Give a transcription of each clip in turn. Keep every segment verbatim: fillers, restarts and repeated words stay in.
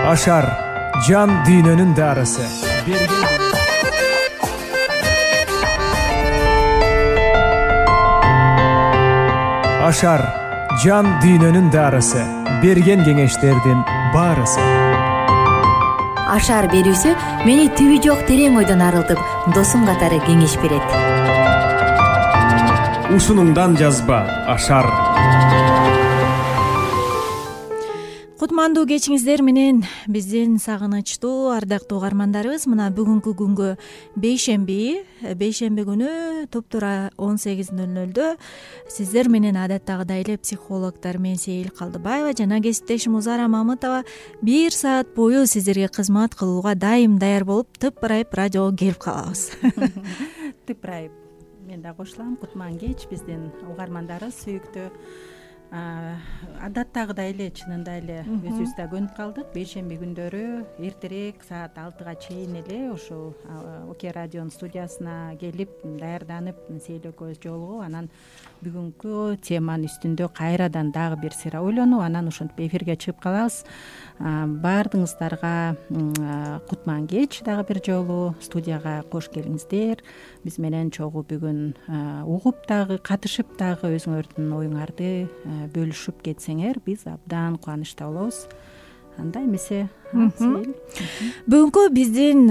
Ашар жан дүйнөнүн дарысы. Ашар жан дүйнөнүн дарысы. Берген кеңештердин баарысы. Ашар берүүсү мени түбү жок терең ойдон арылтып, досум катары кеңеш берет. Усунуңдан жазба Ашар. Кутмандуу кечиңиздер менен биздин сагынычтуу ардактуу угармандарыбыз, мына бүгүнкү күнгө бейшемби, бейшемби күнү туптура он сегиз ноль нолдо сиздер менен адаттагыдай эле психологдор мен Сейил Калдыбаева жана кесиптешим Узара Мамытова бир саат бою сиздерге кызмат кылууга дайым даяр болуп тыпырайып радиого келип калабыз. Тыпырайып мен да кошулам. Кутман кеч биздин угармандарыбыз сүйүктүү. Адаттагыдай эле чынында эле өзүбүз да көнүп калдык. Бейшемби күндөрү эртерээк саат алтыга чейин эле ушул Оке радионун студиясына келип даярданып Сейил экөөбүз жолугуп, анан бүгүнкү теманын үстүндө кайрадан дагы бир сыйра ойлонуп, анан ошентип эфирге чыгып калабыз. Баардыгыңыздарга кутман кеч дагы бир жолу студияга кош келиңиздер. Биз менен чогуу бүгүн угуп дагы, катышып дагы өзүңөрдүн оюңарды бөлүшүп кетсеңер, биз абдан кубанычта болобуз. Анда эмесе бүгүнкү биздин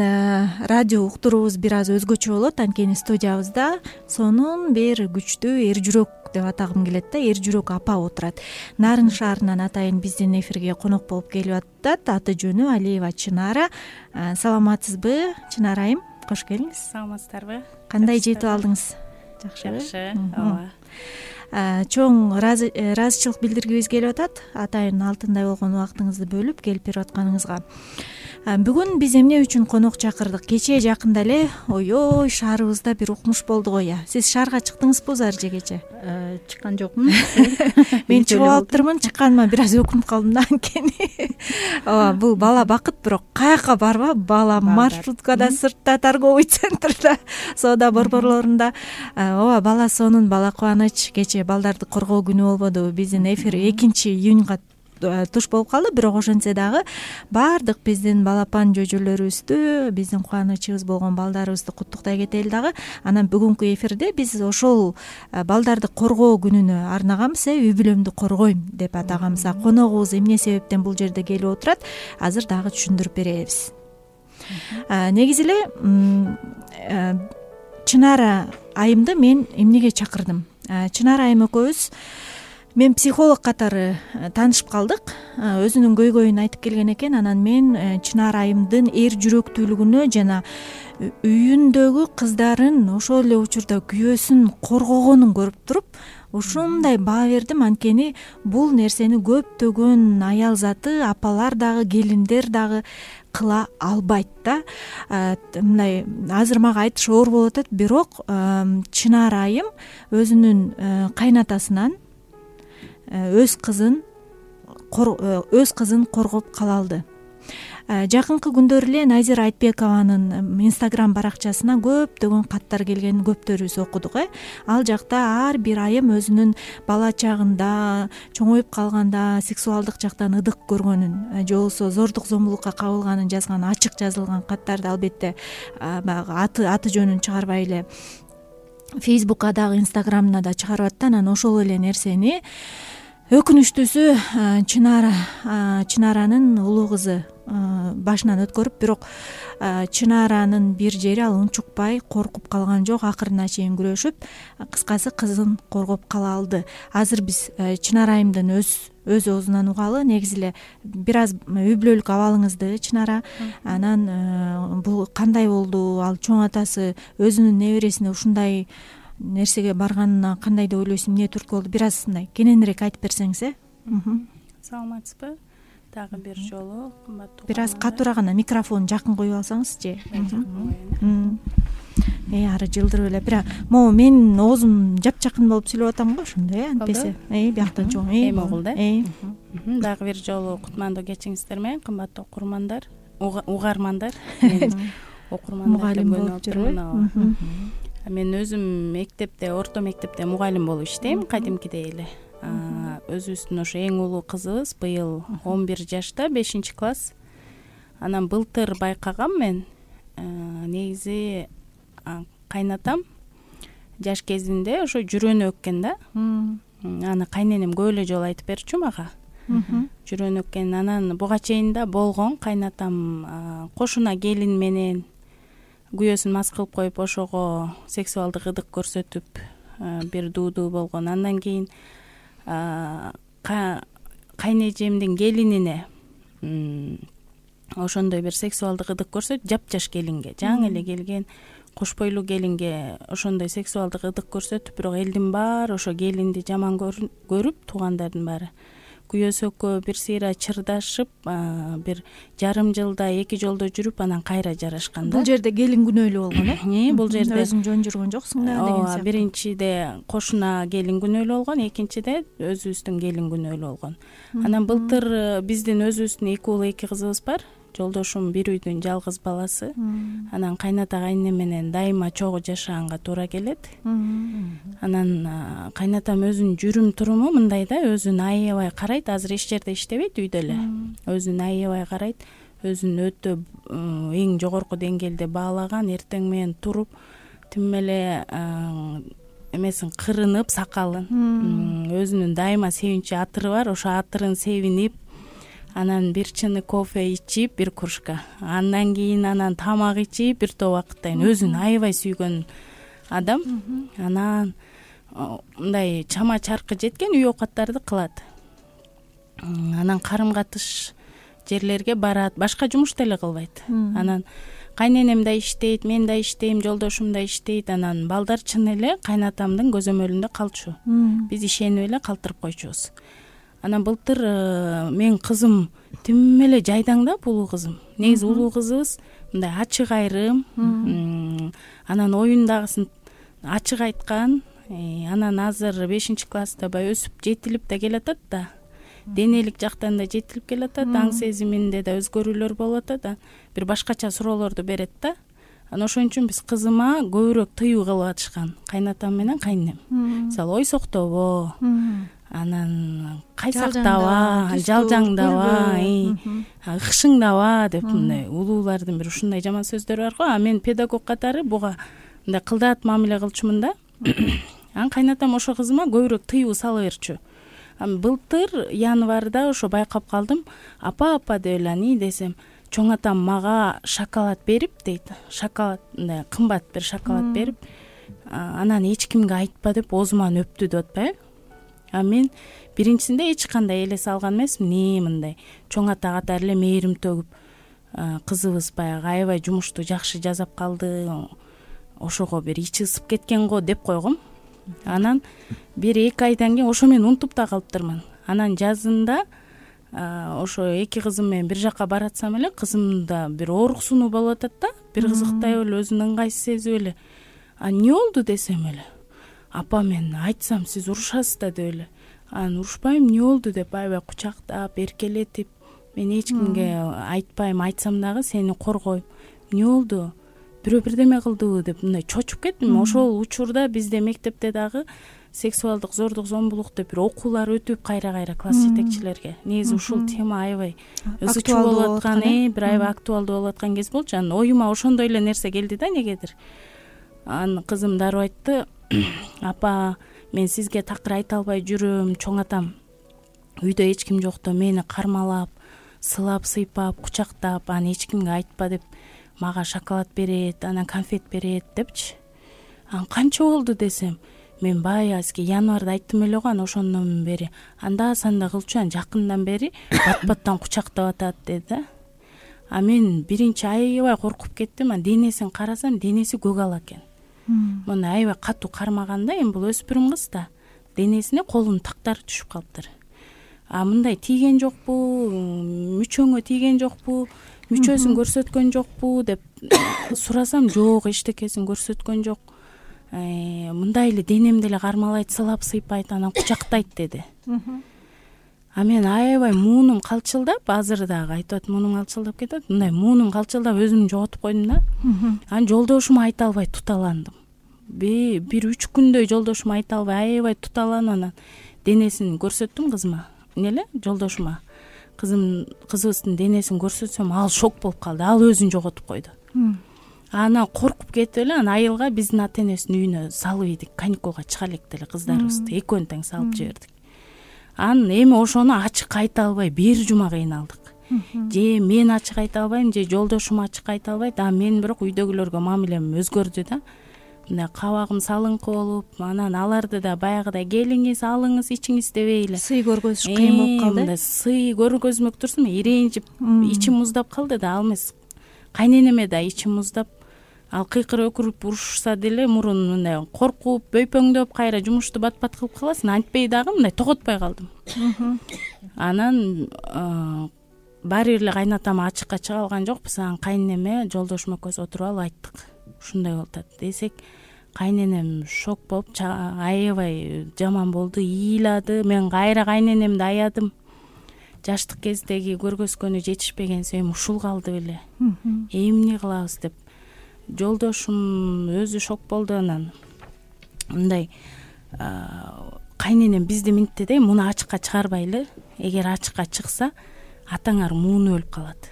радио уктуруубуз бир аз өзгөчө болот. Анткени студиябызда сонун бир күчтүү эр жүрөк деп атагым келет да, эр жүрөк апа отурат. Нарын шаарынан атайын биздин эфирге конок болуп келип атат. Аты жөнү Алиева Чынара. Саламатсызбы, Чынара айым? Кош келиңиз. Саламатсыздарбы? Кандай жетип алдыңыз? Жакшыбы? Жакшы. Ооба. Чоң ыраазычылык билдиргибиз келип атат. Атайын алтындай болгон убактыңызды бөлүп келип берип атканыңызга. Бүгүн биз эмне үчүн конок чакырдык? Кечээ жакында эле ойой шаарыбызда бир укмуш болду го я. Сиз шаарга чыктыңызбы узар же кечээ? Чыккан жокмун. Мен чыгып алыптырмын, чыкканыма бир аз өкүнүп калдым да, анткени. Ооба, бул бала бакыт, бирок каяка барба, бала маршруткада, сыртта, торговый центрда, соода борборлорунда. Ооба, бала сонун, бала кубаныч. Кечээ балдарды коргоо күнү болбодубу? Биздин эфир экинчи июньга туш болуп калды, бирок ошентсе дагы баардык биздин балапан жөжөлөрүбүздү, биздин кубанычыбыз болгон балдарыбызды куттуктай кетели дагы. Анан бүгүнкү эфирде биз ошол балдарды коргоо күнүнө арнаганбыз, үй бүлөмдү коргойм деп атаганбыз. Коногубуз эмне себептен бул жерде келип отурат, азыр дагы түшүндүрүп беребиз. Негизи эле Чынара айымды мен эмнеге чакырдым? Чынара айым экөөбүз мен психолог катары таанышып калдык. Өзүнүн көйгөйүн айтып келген экен. Анан мен Чынара айымдын эр жүрөктүүлүгүнө жана үйүндөгү кыздарын ошол эле учурда күйөөсүн коргогонун көрүп туруп, ушундай баа бердим. Анткени бул нерсени көптөгөн аял заты, апалар дагы, келиндер дагы кыла албайт да. Мындай азыр мага айтыш оор болуп атат, бирок Чынара айым өзүнүн кайнатасынан өз кызын өз кызын коргоп кала алды. Жакынкы күндөр эле Назира Айтбекованын Instagram баракчасына көптөгөн каттар келген, көптөрүбүз окудук. э Ал жакта ар бир айым өзүнүн бала чагында, чоңоюп калганда сексуалдык жактан ыдык көргөнүн, же болбосо зордук зомбулукка кабылганын жазган, ачык жазылган каттарды, албетте баягы аты аты жөнүн чыгарбай эле Facebookка дагы, Instagram'на да чыгарып атты. Анан ошол эле нерсени өкүнүчтүүсү Чынара Чынаранын улуу кызы башынан өткөрүп, бирок Чынаранын бир жери ал унчукпай, коркуп калган жок, акырына чейин күрөшүп, кыскасы кызын коргоп кала алды. Азыр биз Чынара айымдын өз өз оозунан угалы. Негизи эле бир аз үй бүлөлүк абалыңызды, Чынара, анан бул кандай болду, ал чоң атасы өзүнүн небересине ушундай нерсеге барганына кандай деп ойлойсуң, эмне түрткү болду, бир аз мындай кененирээк айтып берсеңиз. э Саламатсызбы? Дагы бир жолу кымбаттуу. Бир аз катуураак гана микрофонду жакын коюп алсаңыз же. Э ары жылдырып эле. Бирок могу менин оозум жапжакын болуп сүйлөп атам го, ошондой э антпесе. Э бияктан чоң. Эми угул да. Дагы бир жолу кутмандуу кечиңиздер менен, кымбаттуу окурмандар, угармандар. Окурмандар болуп турмун. Мен өзүм мектепте, орто мектепте мугалим болуп иштейм, кадимкидей эле. Өзүбүздүн ошо эң улуу кызыбыз быйыл он бир жашта, бешинчи класс. Анан былтыр байкагам мен негизи кайнатам жаш кезинде ошо жүрөнү өккөн да. Аны кайненем көп эле жолу айтып берчү мага. Жүрөнү өккөн. Анан буга чейин да болгон. Кайнатам кошуна келин менен күйөөсүн мас кылып коюп ошого сексуалдык ыдык көрсөтүп бир дуудуу болгон. Андан кийин кайнэжемдин келинине ошондой бир сексуалдык ыдык көрсөтүп, жапжаш келинге, жаңы эле келген кош бойлуу келинге ошондой сексуалдык ыдык көрсөтүп, бирок элдин баары ошо келинди жаман көрүп, туугандардын баары күйөөсү экөө бир сыйра чырдашып, бир жарым жылда эки жолдо жүрүп, анан кайра жарашкан да. Бул жерде келин күнөөлүү болгон э? Бул жерде өзүң жөн жүргөн жоксуң да деген сыяктуу. Биринчиде кошуна келин күнөөлүү болгон, экинчиде өзүбүздүн келин күнөөлүү болгон. Анан былтыр биздин өзүбүздүн эки уул эки кызыбыз бар. Жолдошум бир үйдүн жалгыз баласы. Анан кайната кайнем менен дайыма чогуу жашаганга туура келет. Анан кайнатам өзүнүн жүрүм туруму мындай да, өзүн аябай карайт. Азыр эч жерде иштебейт, үйдө эле. Өзүн аябай карайт. Өзүн өтө эң жогорку деңгээлде баалаган, эртең менен туруп, тим эле эмесин кырынып, сакалын. Өзүнүн дайыма себинчи атыры бар. Ошо атырын себинип, анан бир чыны кофе ичип, бир кружка. Андан кийин анан тамак ичип, бир топ убакыттан өзүн аябай сүйгөн адам. Анан мындай чама чаркы жеткен үй оокаттарды кылат. Анан карым катыш жерлерге барат, башка жумуш деле кылбайт. Анан кайненем да иштейт, мен да иштейм, жолдошум да иштейт. Анан балдар чын эле кайнатамдын көзөмөлүндө калчу. Биз ишенип эле калтырып койчубуз. Анан былтыр мен кызым тим эле жайдаң да, улуу кызым. Негизи улуу кызыбыз мындай ачык айрым, анан оюндагысын ачык айткан. Анан азыр бешинчи класста бай өсүп жетилип да келатат да. Денелик жактан да жетилип келатат, аң сезиминде да өзгөрүүлөр болуп атат. Бир башкача суроолорду берет да. Анан ошон үчүн биз кызыма көбүрөөк тыюу кылып атышкан, кайнатам менен кайнем. Мисалы ойсоктобо, анан кайсактаба, жалжаңдаба, ыкшыңдаба деп мындай улуулардын бир ушундай жаман сөздөрү бар го. А мен педагог катары буга мындай кылдаат мамиле кылчумун да. Анан кайнатам ошо кызыма көбүрөөк тыюу сала берчү. Былтыр январда ошо байкап калдым. Апа апа деп эле ани десем, чоң атам мага шоколад берип дейт. Шоколад мындай кымбат бир шоколад берип, анан эч кимге айтпа деп оозуман өптү деп атпайбы. А мен биринчисинде эч кандай элес алган эмесмин. Не мындай чоң ата катары эле мээрим төгүп, кызыбыз баягы аябай жумушту жакшы жасап калды, ошого бир ичи ысып кеткен го деп койгом. Анан бир эки айдан кийин ошо мен унутуп да калыптырмын. Анан жазында ошо эки кызым менен бир жака баратсам эле, кызымда бир ооруксунуу болуп атат да, бир кызыктай эле, өзүн ыңгайсыз сезип эле. А эмне болду десем эле, апа мен айтсам сиз урушасыз да деп эле. Анан урушпайм, эмне болду деп аябай кучактап, эркелетип, мен эч кимге айтпайм, айтсам дагы сени коргойм. Эмне болду? Бирөө бирдеме кылдыбы деп мындай чочуп кеттим. Ошол учурда бизде мектепте дагы сексуалдык зордук, зомбулук деп бир окуулар өтүп кайра-кайра класс жетекчилерге. Негизи ушул тема аябай ызычуу болуп аткан, бир аябай актуалдуу болуп аткан кез болчу. Анан оюма ошондой эле нерсе келди да, негедир. Анан кызым дароо айтты, апа мен сизге такыр айта албай жүрөм, чоң атам үйдө эч ким жокто мени кармалап, сылап, сыйпап, кучактап, аны эч кимге айтпа деп мага шоколад берет, анан конфет берет депчи. Анан канча болду десем, мен баягы сизге январда айттым эле го, анан ошондон бери анда санда кылчу, анан жакындан бери бат-баттан кучактап атат деди да. А мен биринчи аябай коркуп кеттим. Анан денесин карасам, денеси көк ала экен. Мына аябай катуу кармаганда, эми бул өспүрүм кыз да, денесине колунун тактары түшүп калыптыр. А мындай тийген жокпу, мүчөңө тийген жокпу, мүчөсүн көрсөткөн жокпу деп сурасам, жок, эчтекесин көрсөткөн жок. Мындай эле денем деле кармалайт, сылап, сыйпайт, анан кучактайт деди. А мен аябай муунум калчылдап, азыр дагы айтып атам, муунум калчылдап кетет. Мындай муунум калчылдап өзүмдү жоготуп койдум да. Анан жолдошума айта албай туталандым. Бир үч күндөй жолдошума айта албай аябай туталанып, анан денесин көрсөттүм кызыма. Эмне эле жолдошума. кызым кызыбыздын денесин көрсөтсөм ал шок болуп калды, ал өзүн жоготуп койду. Анан коркуп кетип эле анан айылга биздин ата энесинин үйүнө салып ийдик, каникулга чыга элек деле кыздарыбызды экөөнү тең салып жибердик. Анан эми ошону ачык айта албай бир жума кыйналдык. Же мен ачык айта албайм, же жолдошум ачык айта албайт. А мен бирок үйдөгүлөргө мамилем өзгөрдү да. Мындай кабагым салыңкы болуп, анан аларды да баягыдай келиңиз, алыңыз, ичиңиз дебей эле сый көргөзүш кыйын болуп калды. Мындай сый көргөзмөк турсун, ирэнжип ичим муздап калды да. Ал эмес кайненеме да ичим муздап, ал кыйкыр өкүрүп урушса деле мурун мындай коркуп, бөйпөңдөп кайра жумушту бат-бат кылып каласың. Антпей дагы мындай тоготпой калдым. Анан баары бир эле кайнатам ачыкка чыга алган жокпуз. Анан кайненеме жолдошум экөөбүз отуруп алып айттык. Ушундай болуп атат десек, кайненем шок болуп аябай жаман болду, ыйлады. Мен кайра кайненемди аядым. Жаштык кездеги көргөзгөнү жетишпегенсип эми ушул калды беле. Эмне кылабыз деп. Жолдошум өзү шок болду. Анан мындай кайненем бизди минтти да, муну ачыкка чыгарбайлы. Эгер ачыкка чыкса, атаңар муну өлүп калат.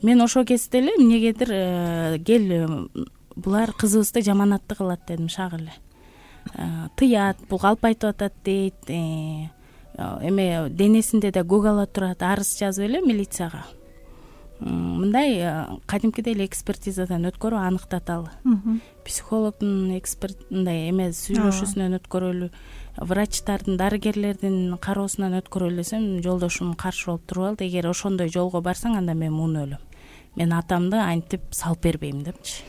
Мен ошол кезде эле эмнегедир кел булар кызыбызды жаманатты кылат дедим шак эле. Тыят, бул калп айтып атат дейт. Эме денесинде да көк ала турат, арыз жазып эле милицияга. Мындай кадимкидей эле экспертизадан өткөрүп аныктаталы. Психологдун эксперт мындай эме сүйлөшүүсүнөн өткөрөлү, врачтардын, дарыгерлердин кароосунан өткөрөлү десем, жолдошум каршы болуп туруп алды. Эгер ошондой жолго барсаң, анда мен муну өлөм. Мен атамды антип салып бербейм депчи.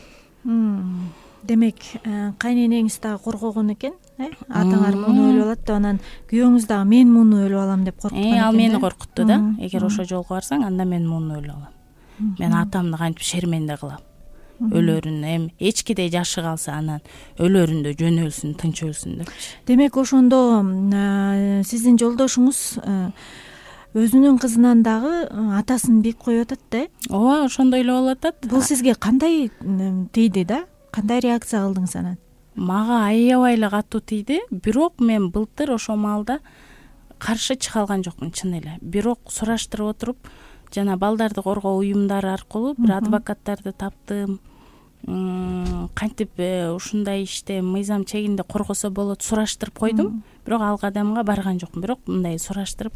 Демек, кайненеңиз дагы коргогон экен, э? Атаңар муну өлүп алат деп, анан күйөөңүз дагы мен муну өлүп алам деп коркуткан экен. Ал мени коркутту да. Эгер ошол жолго барсаң, анда мен муну өлүп алам. Мен атамды кантип шерменде кылам. Өлөрүн эми эчкидей жашы калса, анан өлөрүндө жөн өлсүн, тынч өлсүн депчи. Демек, ошондо сиздин жолдошуңуз өзүнүн кызынан дагы атасын бийик коюп атат да? Ооба, ошондой эле болуп атат. Бул сизге кандай тийди да? Кандай реакция кылдыңыз анан? Мага аябай эле катуу тийди. Бирок мен былтыр ошол маалда каршы чыга алган жокмун, чын эле. Бирок сураштырып отуруп, жана балдарды коргоо уюмдары аркылуу бир адвокаттарды таптым. Кантип ушундай иште мыйзам чегинде коргосо болот сураштырып койдум. Бирок ал кадамга барган жокмун. Бирок мындай сураштырып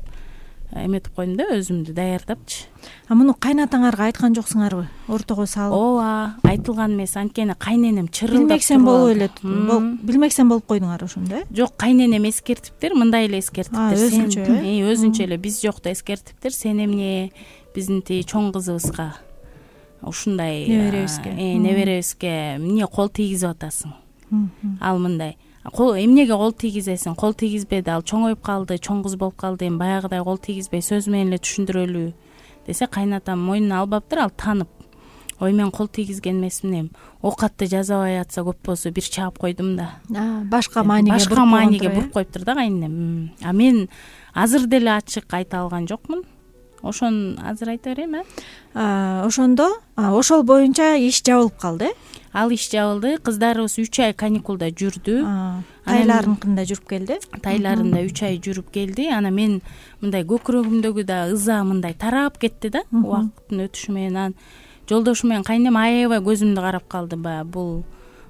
эметип койдум да, өзүмдү даярдапчы. А муну кайнатаңарга айткан жоксуңарбы? Ортого салып? Ооба, айтылган эмес. Анткени кайненем чырылдап. Билмексен болуп эле, билмексен болуп койдуң ошондо, э? Жок, кайненем эскертиптир, мындай эле эскертиптир. Өзүнчө, э? Өзүнчө эле биз жокто эскертиптир. Сен эмне биздин тиги чоң кызыбызга ушундай неберебизге неберебизге эмне кол тийгизип атасың? Ал мындай эмнеге кол тийгизесиң? Кол тийгизбеди, ал чоңоюп калды, чоң кыз болуп калды, эми баягыдай кол тийгизбей сөз менен эле түшүндүрөлү десе, кайнатам мойнуна албаптыр, ал таанып. Ой, мен кол тийгизген эмесмин, эми оокатты жасабай атса көп болсо бир чаап койдум да. Башка мааниге башка мааниге буруп коюптур да кайненем. А мен азыр деле ачык айта алган жокмун. Ошону азыр айта берейм, э? Ошондо ошол боюнча иш жабылып калды, э? Ал иш жабылды. Кыздарыбыз үч ай каникулда жүрдү. Тайларынкында жүрүп келди. Тайларында үч ай жүрүп келди. Анан мен мындай көкүрөгүмдөгү да ыза мындай тарап кетти да, убакыттын өтүшү менен. Анан жолдошум менен кайнем аябай көзүмдү карап калды, баягы бул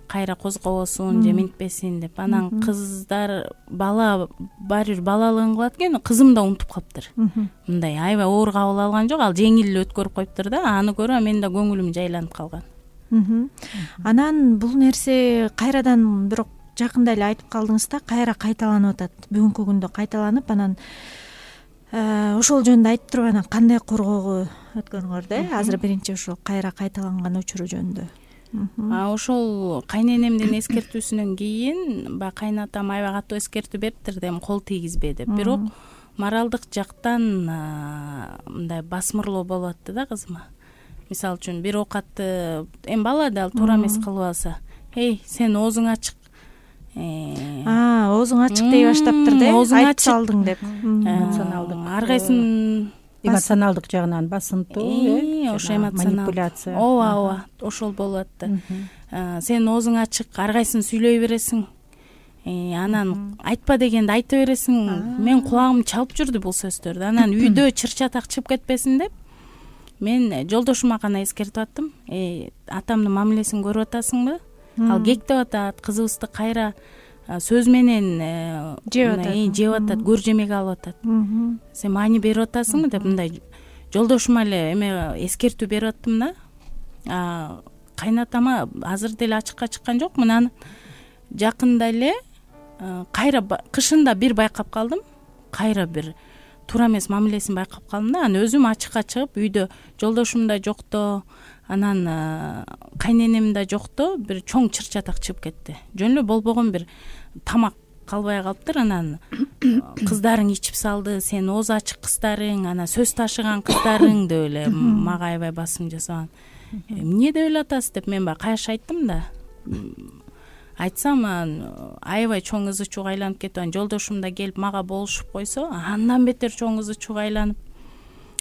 кайра козгобосун же минтпесин деп. Анан кыздар бала баары бир балалыгын кылат экен, кызым да унутуп калыптыр. Мындай аябай оор кабыл алган жок, ал жеңил эле өткөрүп коюптур да. Аны көрүп менин да көңүлүм жайланып калган. Анан бул нерсе кайрадан бирок жакында эле айтып калдыңыз да, кайра кайталанып атат. Бүгүнкү күндө кайталанып, анан ошол жөнүндө айтып туруп, анан кандай коргоого өткөнүңөр да? Азыр биринчи ошол кайра кайталанган учуру жөнүндө. Ошол кайненемдин эскертүүсүнөн кийин баягы кайнатам аябай катуу эскертүү бериптир да, эми кол тийгизбе деп. Бирок моралдык жактан мындай басмырлоо болуп атты да кызыма. Мисалы үчүн бир оокатты эми бала да туура эмес кылып алса, эй, сен оозуң ачык. Оозуң ачык дей баштаптыр да, айтып салдың деп. Ар кайсын эмоционалдык жагынан басынтуу, э, ошо манипуляция. Ооба, ооба, ошол болуп атты. Сен оозуң ачык, ар кайсын сүйлөй бересиң. анан айтпа дегенди айта бересиң. Мен кулагым чалып жүрдү бул сөздөрдү. Анан үйдө чыр-чатак чыгып кетпесин деп мен жолдошума гана эскертип аттым. Э, атамдын мамилесин көрүп атасыңбы? Ал кектеп атат, кызыбызды кайра сөз менен жеп атат, жеп атат, көр жемек алып атат. Сен маани берип атасыңбы деп мындай жолдошума эле эме эскертүү берип аттым да. Кайнатама азыр деле ачыкка чыккан жок. Мына жакында эле кайра кышында бир байкап калдым. Кайра бир туура эмес мамилесин байкап калдым да. Анан өзүм ачыкка чыгып үйдө жолдошум да жокто, анан кайненем да жокто, бир чоң чыр-чатак чыгып кетти. Жөн эле болбогон бир тамак калбай калыптыр. Анан кыздарың ичип салды, сен оозу ачык кыздарың, анан сөз ташыган кыздарың деп эле мага аябай басым жасаган. Эмне деп эле атасыз деп мен баягы каяш айттым да. Айтсам аябай чоң ызы чууга айланып кетип, анан жолдошум да келип мага болушуп койсо, андан бетер чоң ызы чууга айланып,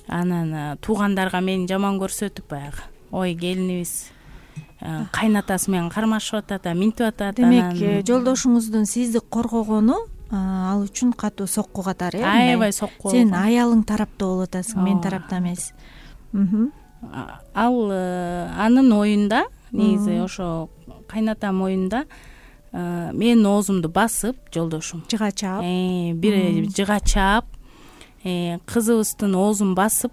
анан туугандарга мени жаман көрсөтүп баягы, ой келинибиз кайнатасы менен кармашып атат, минтип атат. Демек, жолдошуңуздун сизди коргогону ал үчүн катуу сокку катары, э? Аябай сокку. Сен аялың тарапта болуп атасың, мен тарапта эмес. Ал анын оюнда, негизи ошо кайнатам оюнда менин оозумду басып жолдошум жыга чаап, бир жыга чаап, кызыбыздын оозун басып,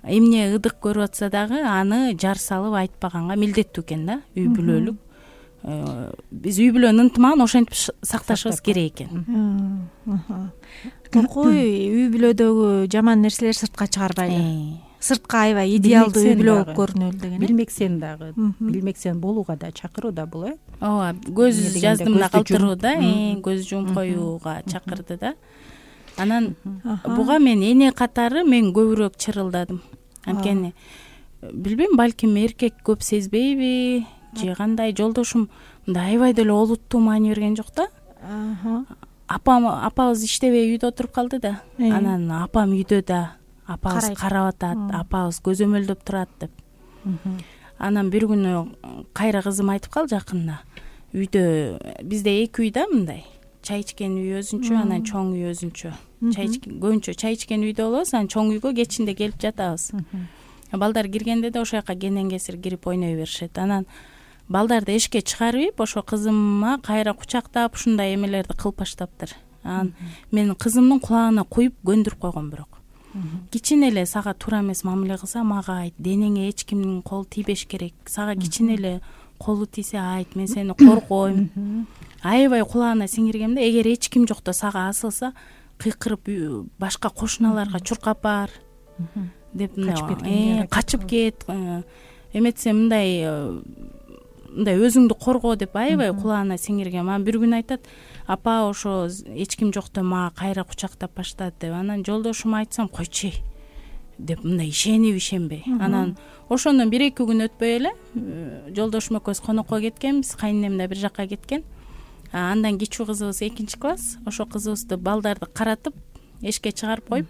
эмне ыдык көрүп атса дагы аны жар салып айтпаганга милдеттүү экен да. Үй бүлөлүк. Биз үй бүлөнү ынтымагын ошентип сакташыбыз керек экен. Коркой үй бүлөдөгү жаман нерселер сыртка чыгарбайлы. Сыртка аябай идеалдуу үй бүлө болуп көрүнөлү деген. Билмексен дагы, билмексен болууга да чакыруу да бул, э? Ооба, көз жаздым да калтыруу да, көз жумуп коюуга чакырды да. Анан буга мен эне катары мен көбүрөөк чырылдадым. Анткени билбейм, балким эркек көп сезбейби же кандай. Жолдошум мындай аябай деле олуттуу маани берген жок да. Апам апабыз иштебей үйдө отуруп калды да. Анан апам үйдө да, апабыз карап атат, апабыз көзөмөлдөп турат деп. Анан бир күнү кайра кызым айтып калды жакында. Үйдө бизде эки үй да мындай. Чай ичкен үй өзүнчө, анан чоң үй өзүнчө. Чай ичкен, көбүнчө чай ичкен үйдө болобуз, анан чоң үйгө кечинде келип жатабыз. Балдар киргенде да ошол жака кенен кесир кирип ойной беришет. Анан балдарды эшикке чыгарып, ошо кызыма кайра кучактап ушундай эмелерди кылып баштаптыр. Анан мен кызымдын кулагына куюп көндүрүп койгом, бирок кичине эле сага туура эмес мамиле кылса мага айт, денеңе эч кимдин колу тийбеш керек. Сага кичине эле колу тийсе айт, мен сени коргойм. Аябай кулагына сиңиргем да, эгер эч ким жокто сага асылса кыйкырып башка кошуналарга чуркап бар деп качып кет, эметсе мындай мындай өзүңдү корго деп аябай кулагына сиңиргем. Анан бир күн айтат, апа ошо эч ким жокто мага кайра кучактап баштады деп. Анан жолдошума айтсам, койчу деп мындай ишенип ишенбей. Анан ошондон бир эки күн өтпөй эле жолдошум экөөбүз конокко кеткенбиз, кайненем да бир жакка кеткен. Андан кичүү кызыбыз экинчи класс, ошо кызыбызды балдарды каратып эшикке чыгарып коюп,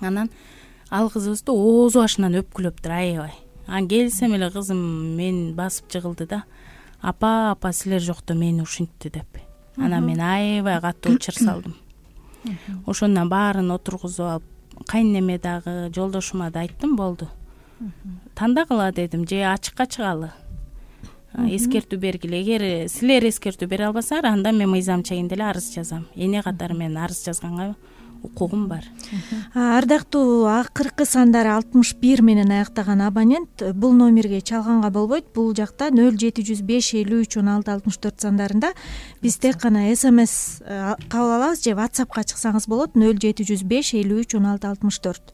анан ал кызыбызды оозу башынан өпкүлөптүр аябай. Анан келсем эле кызым мен басып жыгылды да, апа апа силер жокто мени ушинтти деп. Анан мен аябай катуу чыр салдым. Ошондон баарын отургузуп алып, кайненеме дагы жолдошума да айттым, болду. Тандагыла дедим, же ачыкка чыгалы. Эскертүү бергиле. Эгер силер эскертүү бере албасаңар, анда мен мыйзам чегинде эле арыз жазам. Эне катары мен арыз жазганга укугум бар. Ардактуу, акыркы сандары алтымыш бир менен аяктаган абонент бул номерге чалганга болбойт. Бул жакта нөл жети жүз беш элүү үч он алты алтымыш төрт сандарында биз тек гана смс кабыл алабыз, же WhatsAppка чыксаңыз болот. нөл жети жүз беш элүү үч он алты алтымыш төрт.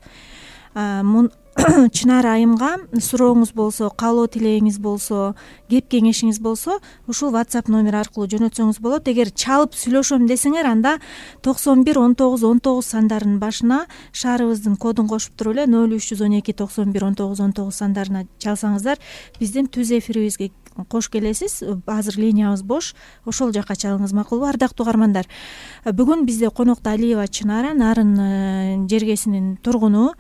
Чынара айымга сурооңуз болсо, каалоо тилегиңиз болсо, кеп кеңешиңиз болсо, ушул WhatsApp номер аркылуу жөнөтсөңүз болот. Эгер чалып сүйлөшөм десеңер, анда токсон бир он тогуз он тогуз сандарынын башына шаарыбыздын кодун кошуп туруп эле нөл үч жүз он эки токсон бир он тогуз он тогуз сандарына чалсаңыздар, биздин түз эфирибизге кош келесиз. Азыр линиябыз бош, ошол жака чалыңыз макулбу? Ардактуу угармандар, бүгүн бизде конокто Алиева Чынара, Нарын жергесинин тургуну,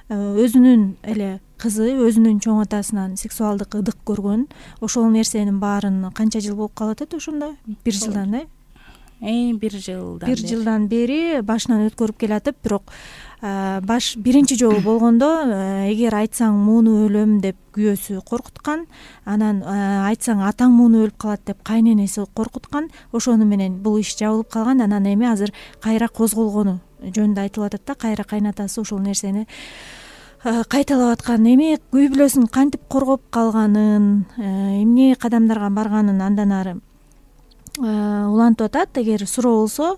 өзүнүн эле кызы өзүнүн чоң атасынан сексуалдык ыдык көргөн, ошол нерсенин баарын канча жыл болуп калып атат ошондо? Бир жылдан э? Э, бир жылдан. Бир жылдан бери башынан өткөрүп келатып, бирок баш биринчи жолу болгондо эгер айтсаң мууну өлөм деп күйөөсү коркуткан, анан айтсаң атаң мууну өлүп калат деп кайненеси коркуткан, ошону менен бул иш жабылып калган. Анан эми азыр кайра козголгону жөнүндө айтылып атат да, кайра кайнатасы ошол нерсени кайталап аткан. Эми үй бүлөсүн кантип коргоп калганын, эмне кадамдарга барганын андан ары улантып атат. Эгер суроо болсо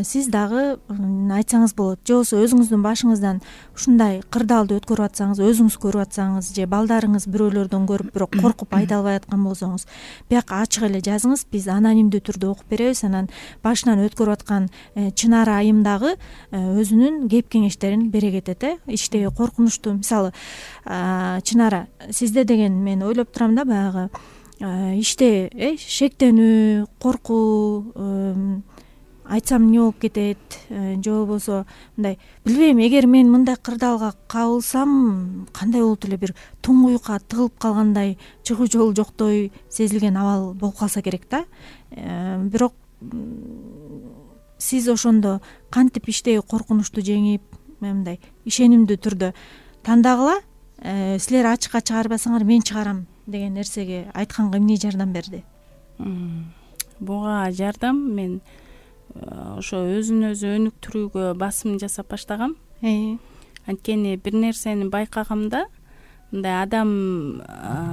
сиз дагы айтсаңыз болот, же болбосо өзүңүздүн башыңыздан ушундай кырдаалды өткөрүп атсаңыз, өзүңүз көрүп атсаңыз, же балдарыңыз бирөөлөрдөн көрүп бирок коркуп айта албай аткан болсоңуз, бияка ачык эле жазыңыз, биз анонимдүү түрдө окуп беребиз. Анан башынан өткөрүп аткан Чынара айым дагы өзүнүн кеп кеңештерин бере кетет э иштеги коркунучтуу. Мисалы, Чынара, сизде деген мен ойлоп турам да, баягы иште э шектенүү, коркуу, айтсам эмне болуп кетет, же болбосо мындай билбейм, эгер мен мындай кырдаалга кабылсам кандай болот эле, бир туңгуюкка тыгылып калгандай, чыгуу жолу жоктой сезилген абал болуп калса керек да. Бирок сиз ошондо кантип иштеги коркунучту жеңип, мындай ишенимдүү түрдө тандагыла, силер ачыкка чыгарбасаңар мен чыгарам деген нерсеге айтканга эмне жардам берди? Буга жардам мен ошо өзүн өзү өнүктүрүүгө басым жасап баштагам. Анткени бир нерсени байкагамда, мындай адам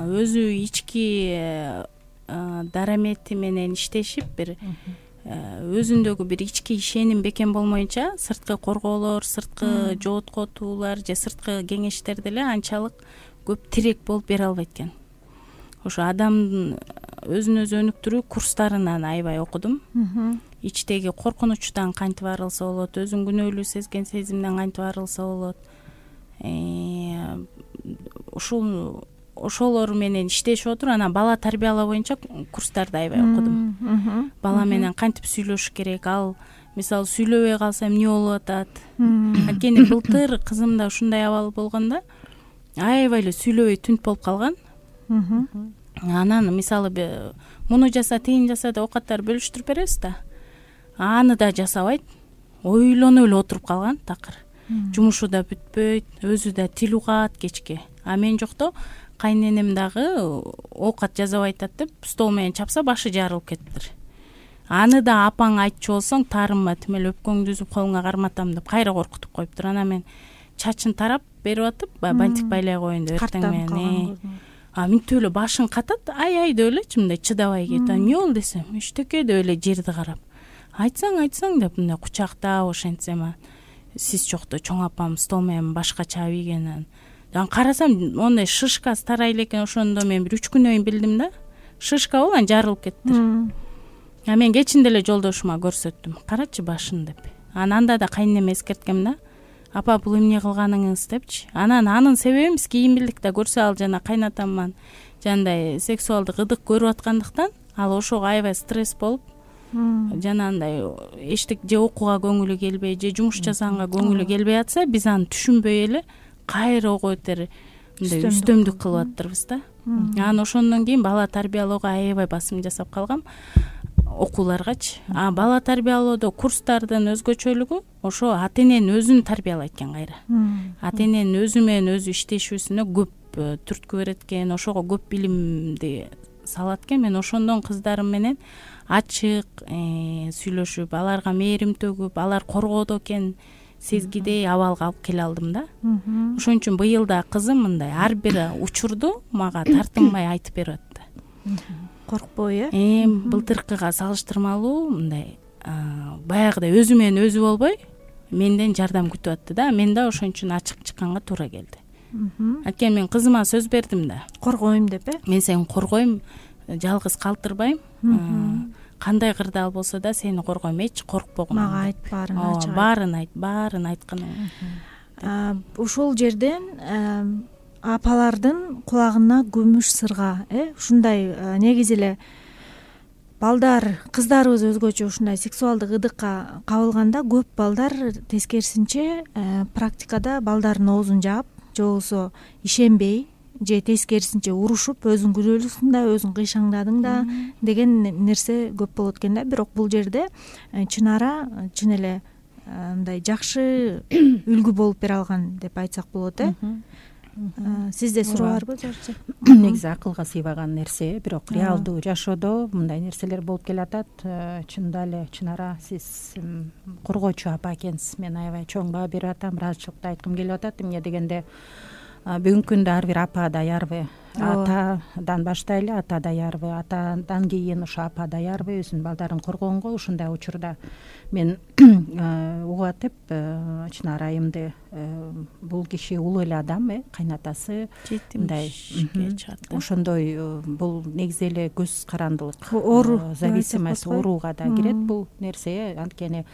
өзү ички дарамети менен иштешип, бир өзүндөгү бир ички ишеним бекем болмоюнча, сырткы корgoолор, сырткы жооткотуулар же сырткы кеңештерди эле анчалык көп тирек болуп бере албайт экен. Ошо адамдын өзүн өзү өнүктүрүү курстарынан аябай окудум. Ичтеги коркунучтан кантип арылса болот, өзүн күнөөлүү сезген сезимден кантип арылса болот. Ушул ошолор менен иштешип отуруп, анан бала тарбиялоо боюнча курстарды аябай окудум. Бала менен кантип сүйлөшүш керек, ал мисалы сүйлөбөй калса эмне болуп атат. Анткени былтыр кызымда ушундай абал болгондо аябай эле сүйлөбөй түнт болуп калган. Анан мисалы муну жаса, тигини жаса деп оокаттар бөлүштүрүп беребиз да. Аны да жасабайт, ойлонуп эле отуруп калган такыр. Жумушу да бүтпөйт, өзү да тил угат кечке. А мен жокто кайненем дагы оокат жасабай атат деп стол менен чапса башы жарылып кетиптир. Аны да апаң айтчу болсоң таарынма, тим эле өпкөңдү үзүп колуңа карматам деп кайра коркутуп коюптур. Анан мен чачын тарап берип атып, бантик байлай коеюн деп эртең менен. А минтип эле башын катат, ай-ай деп элечи, мындай чыдабай кетип. Эмне болду десем, эчтеке деп эле жерди карап. Айтсаң, айтсаң деп мындай кучактап ошентсем, сиз жокто чоң апам стол менен башкача ийген. Анан карасам, ондай шишкасы тарай элекен. Ошондо мен бир үч күнөн кийин билдим да. Шишка болуп, анан жарылып кеттир. А мен кечинде эле жолдошума көрсөттүм. Карачы башын деп. Анан анда да кайненеме эскерткем да. Апа, бул эмне кылганыңыз депчи. Анан анын себеби эмес, кийинбирликте көрсө ал жана кайнатаман жандай сексуалдык ыдык көрүп аткандыктан, ал ошого аябай стресс болуп, жана андай эчтек же окууга көңүлү келбей, же жумуш жасаганга көңүлү келбей атса, биз аны түшүнбөй эле кайра ого бетер мындай үстөмдүк кылып аттырбыз да. Анан ошондон кийин бала тарбиялоого аябай басым жасап калгам, окууларгачы. А бала тарбиялоодо курстардын өзгөчөлүгү ошо ата-эненин өзүн тарбиялайт экен кайра. Ата-эненин өзү менен өзү иштешүүсүнө көп түрткү берет экен, ошого көп билимди салат экен. Мен ошондон кыздарым менен ачык сүйлөшүп, аларга мээрим төгүп, алар коргоодо экен сезгидей абалга алып келе алдым да. Ошон үчүн быйыл да кызым мындай ар бир учурду мага тартынбай айтып берип атты. Коркпой э? Э, былтыркыга салыштырмалуу мындай баягыдай өзү менен өзү болбой менден жардам күтүп атты да. Мен да ошон үчүн ачык чыкканга туура келди. Анткени мен кызыма сөз бердим да. Коргойм деп э? Мен сени коргойм, жалгыз калтырбайм. Кандай кырдаал болсо да сени коргойм, эч коркпогун. Мага айт, баарын ачык. Баарын айт, баарын айтканың. Ушул жерден апалардын кулагына күмүш сырга, э, ушундай негизи эле балдар, кыздарыбыз өзгөчө ушундай сексуалдык ыдыкка кабылганда көп балдар тескерисинче практикада балдардын оозун жаап, же болбосо ишенбей же тескерисинче урушуп өзүң күнөөлүүсүң да өзүң кыйшаңдадың да деген нерсе көп болот экен да. Бирок бул жерде Чынара чын эле мындай жакшы үлгү болуп бере алган деп айтсак болот э. Сизде суроо барбы Зорчу? Негизи акылга сыйбаган нерсе, бирок реалдуу жашоодо мындай нерселер болуп келатат. Чынында эле Чынара, сиз коргоочу апа экенсиз. Мен аябай чоң баа берип атам, ыраазычылыкты айткым келип атат. Эмне дегенде бүгүнкү күндө ар бир апа даярбы, атадан баштайлы, ата даярбы, атадан кийин ошо апа даярбы өзүнүн балдарын коргогонго. Ушундай учурда мен угуп атып, Чынара айымды, бул киши улуу эле адам, э кайнатасы мындай ошондой, бул негизи эле көз карандылык, оору, зависимость, ооруга да кирет бул нерсе. Анткени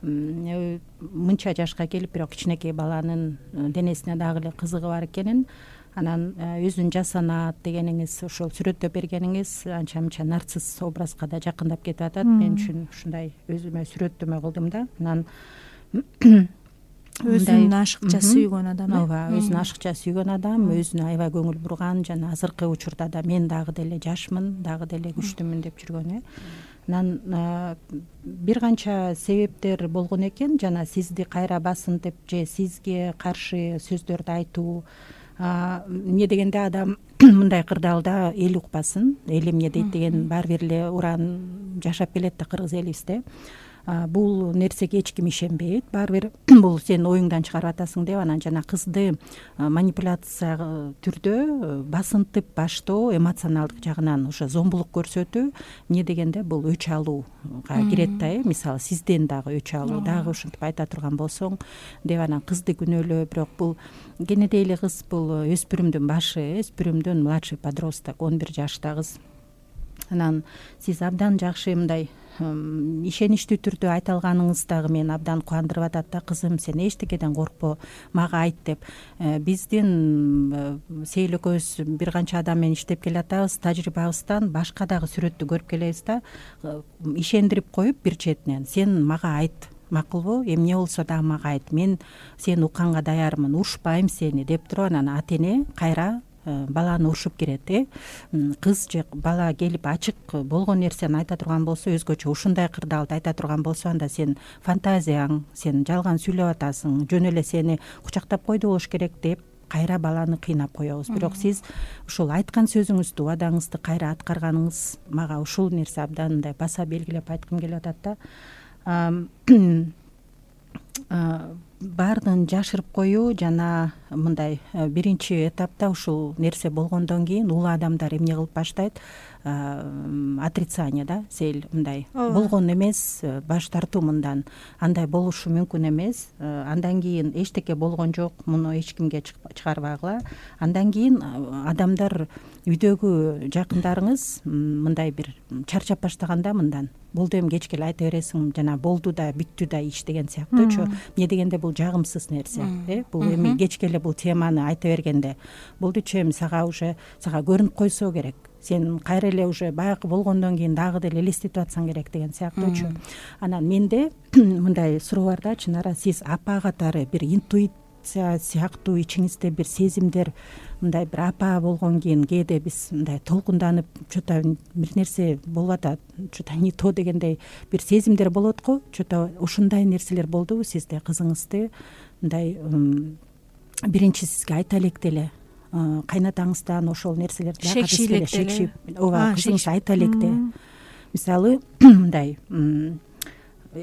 мынча жашка келип бирок кичинекей баланын денесине дагы эле кызыгы бар экенин, анан өзүн жасанат дегениңиз, ошол сүрөттөп бергениңиз анча мынча нарцисс образга да жакындап кетип атат. Мен үчүн ушундай өзүмө сүрөттөмө кылдым да. Анан өзүн ашыкча сүйгөн адам, ооба, өзүн ашыкча сүйгөн адам, өзүнө аябай көңүл бурган, жана азыркы учурда да мен дагы деле жашмын, дагы деле күчтүмүн деп жүргөн э. Анан бир канча себептер болгон экен, жана сизди кайра басынтып же сизге каршы сөздөрдү айтуу. Эмне дегенде адам мындай кырдаалда эл укпасын, эл эмне дейт деген баары бир эле уран жашап келет да кыргыз элибизде. Бул нерсеге эч ким ишенбейт, баары бир бул сен оюңдан чыгарып атасың деп анан жана кызды манипуляция түрдө басынтып баштоо, эмоционалдык жагынан ошо зомбулук көрсөтүү. Эмне дегенде бул өч алууга кирет да, э мисалы сизден дагы өч алуу, дагы ушинтип айта турган болсоң деп анан кызды күнөөлөө. Бирок бул кенедей эле кыз, бул өспүрүмдүн башы, өспүрүмдүн младший подросток, он бир жашта кыз. Анан сиз абдан жакшы мындай ишеничтүү түрдө айта алганыңыз дагы мени абдан кубандырып атат да. Кызым, сен эчтекеден коркпо, мага айт деп. Биздин Сейил экөөбүз бир канча адам менен иштеп келатабыз, тажрыйбабыздан башка дагы сүрөттү көрүп келебиз да. Ишендирип коюп бир четинен сен мага айт, макулбу, эмне болсо дагы мага айт, мен сени укканга даярмын, урушпайм сени деп туруп анан ата эне кайра баланы урушуп кирет. э Кыз же бала келип ачык болгон нерсени айта турган болсо, өзгөчө ушундай кырдаалды айта турган болсо, анда сен фантазияң, сен жалган сүйлөп атасың, жөн эле сени кучактап койду болуш керек деп кайра баланы кыйнап коебуз. Бирок сиз ушул айткан сөзүңүздү, убадаңызды кайра аткарганыңыз мага ушул нерсе абдан мындай баса белгилеп айткым келип атат да. Баардыгын жашырып коюу жана мындай биринчи этапта ушул нерсе болгондон кийин улуу адамдар эмне кылып баштайт? Отрицание да, Сейил, мындай болгон эмес, баш тартуу мындан, андай болушу мүмкүн эмес, андан кийин эчтеке болгон жок, муну эч кимге чыгарбагыла. Андан кийин адамдар, үйдөгү жакындарыңыз мындай бир чарчап баштаганда мындан, болду эми кечке эле айта бересиң, жана болду да бүттү да иш деген сыяктуучу. Эмне дегенде бул жагымсыз нерсе, э бул эми кечке эле бул теманы айта бергенде болдучу, эми сага уже сага көрүнүп койсо керек, сен кайра эле уже баягы болгондон кийин дагы деле элестетип атсаң керек деген сыяктуучу. Анан менде мындай суроо бар да, Чынара, сиз апа катары бир интуиция сыяктуу ичиңизде бир сезимдер, мындай бир апа болгон кийин кээде биз мындай толкунданып, что-то бир нерсе болуп атат, что-то не то дегендей бир сезимдер болот го. Что-то ушундай нерселер болдубу сизде? Кызыңызды мындай биринчи сизге айта элек деле, кайнатаңыздан ошол нерселерди шекшип, ооба, кызыңыз айта электе. Мисалы мындай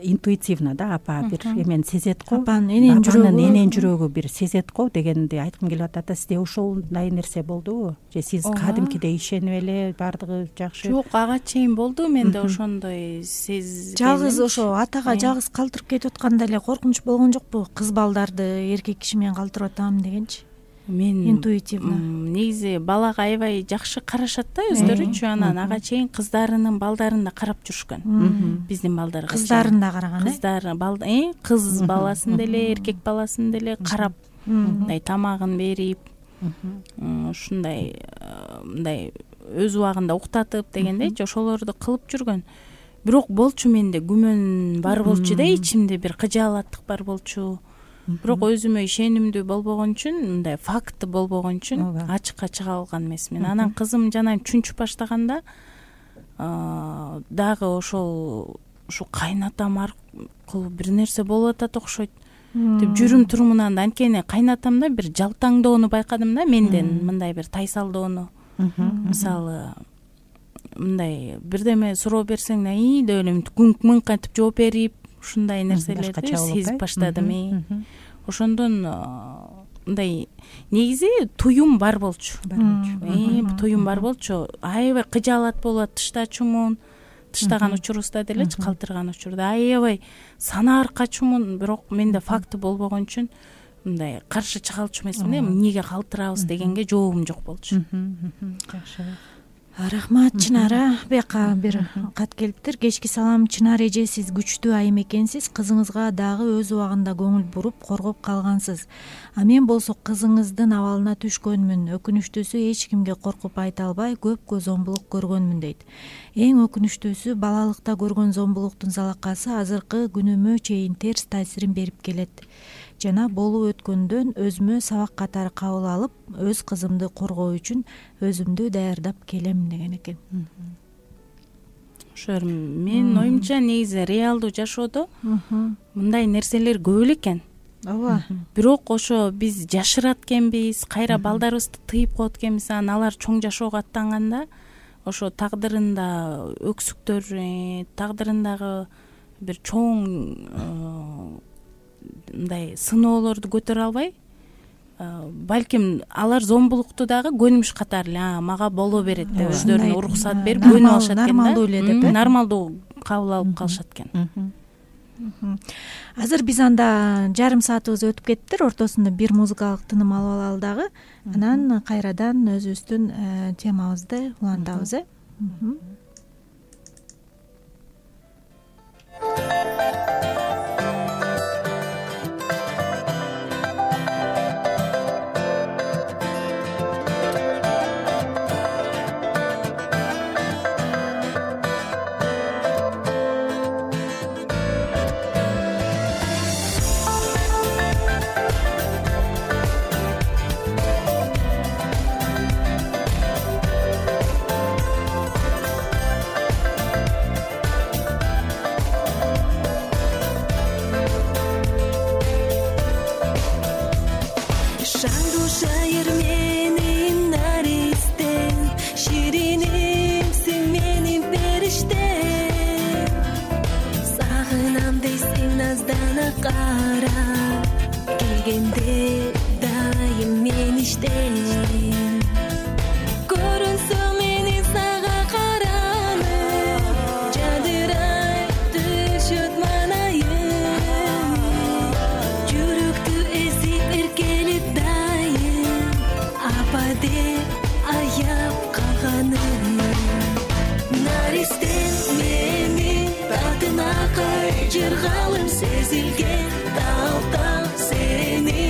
интуитивно да, апа бир эмени сезет го, апанын энен жүрөгү, энен жүрөгү бир сезет го дегенди айткым келип атат да. Сизде ошолдай нерсе болдубу? Же сиз кадимкидей ишенип эле баардыгы жакшы? Жок, ага чейин болду менде ошондой сез. Жалгыз ошо атага жалгыз калтырып кетип атканда эле коркунуч болгон жокпу? Кыз балдарды эркек киши менен калтырып атам дегенчи. Мен интуитивно негизи балага аябай жакшы карашат да өздөрүчү. Анан ага чейин кыздарынын балдарын да карап жүрүшкөн. Биздин балдар кыздарын да караган, кыздары э кыз баласын деле, эркек баласын деле карап, мындай тамагын берип, ушундай мындай өз убагында уктатып дегендейчи, ошолорду кылып жүргөн. Бирок болчу менде күмөн бар болчу да, ичимде бир кыжаалаттык бар болчу. бирок өзүмө ишенимдүү болбогон үчүн, мындай факт болбогон үчүн ачыкка чыга алган эмесмин. Анан кызым жана чүнчүп баштаганда дагы ошол ушу кайнатам аркылуу бир нерсе болуп атат окшойт деп жүрүм турумунан, анткени кайнатамда бир жалтаңдоону байкадым да, менден мындай бир тайсалдоону. Мисалы мындай бирдеме суроо берсең и деп эле күңк-мыңк кантип жооп берип, ушундай нерселерди сезип баштадым. Ошондон мындай негизи туюм бар болчу. Туюм бар болчу. Аябай кыжаалат болот, тыштачумун. Тыштаган учурубузда делечи, калтырган учурда аябай санаар качумун, бирок менде факты болбогон үчүн мындай каршы чыга алчу эмесмин. Эмнеге калтырабыз дегенге жообум жок болчу. Жакшы. Рахмат Чынара. Бияка бир кат келиптир. Кечки салам Чынар эже, сиз күчтүү айым экенсиз. Кызыңызга дагы өз убагында көңүл буруп, коргоп калгансыз. А мен болсо кызыңыздын абалына түшкөнмүн. Өкүнүчтүүсү эч кимге коркуп айта албай, көпкө зомбулук көргөнмүн дейт. Эң өкүнүчтүүсү балалыкта көргөн зомбулуктун залакасы азыркы күнүмө чейин терс таасирин берип келет. Жана болуп өткөндөн өзүмө сабак катары кабыл алып, өз кызымды коргоо үчүн өзүмдү даярдап келем деген экен. Ошо менин оюмча негизи реалдуу жашоодо мындай нерселер көп эле экен. Ооба. Бирок ошо биз жашырат экенбиз, кайра балдарыбызды тыйып коет экенбиз. Анан алар чоң жашоого аттанганда ошо тагдырында өксүктөр, тагдырындагы бир чоң мындай сыноолорду көтөрө албай, балким алар зомбулукту дагы көнүмүш катары эле мага боло берет деп өздөрүнө уруксат берип көнүп алышат экен. Нормалдуу эле деп, нормалдуу кабыл алып калышат экен. Азыр биз анда жарым саатыбыз өтүп кетиптир. Ортосунда бир музыкалык тыным алып алалы дагы. Анан кайрадан өзүбүздүн темабызды улантабыз. э келгенде дайым мен иштейм. Көрүнсөң мени сага каранып, жадырай түшөт манайым. Жүрөктү эзип эркелеп дайым, апа деп аяп калганым. Наристен мени татына кайжыргалым сезилген тал-тал сени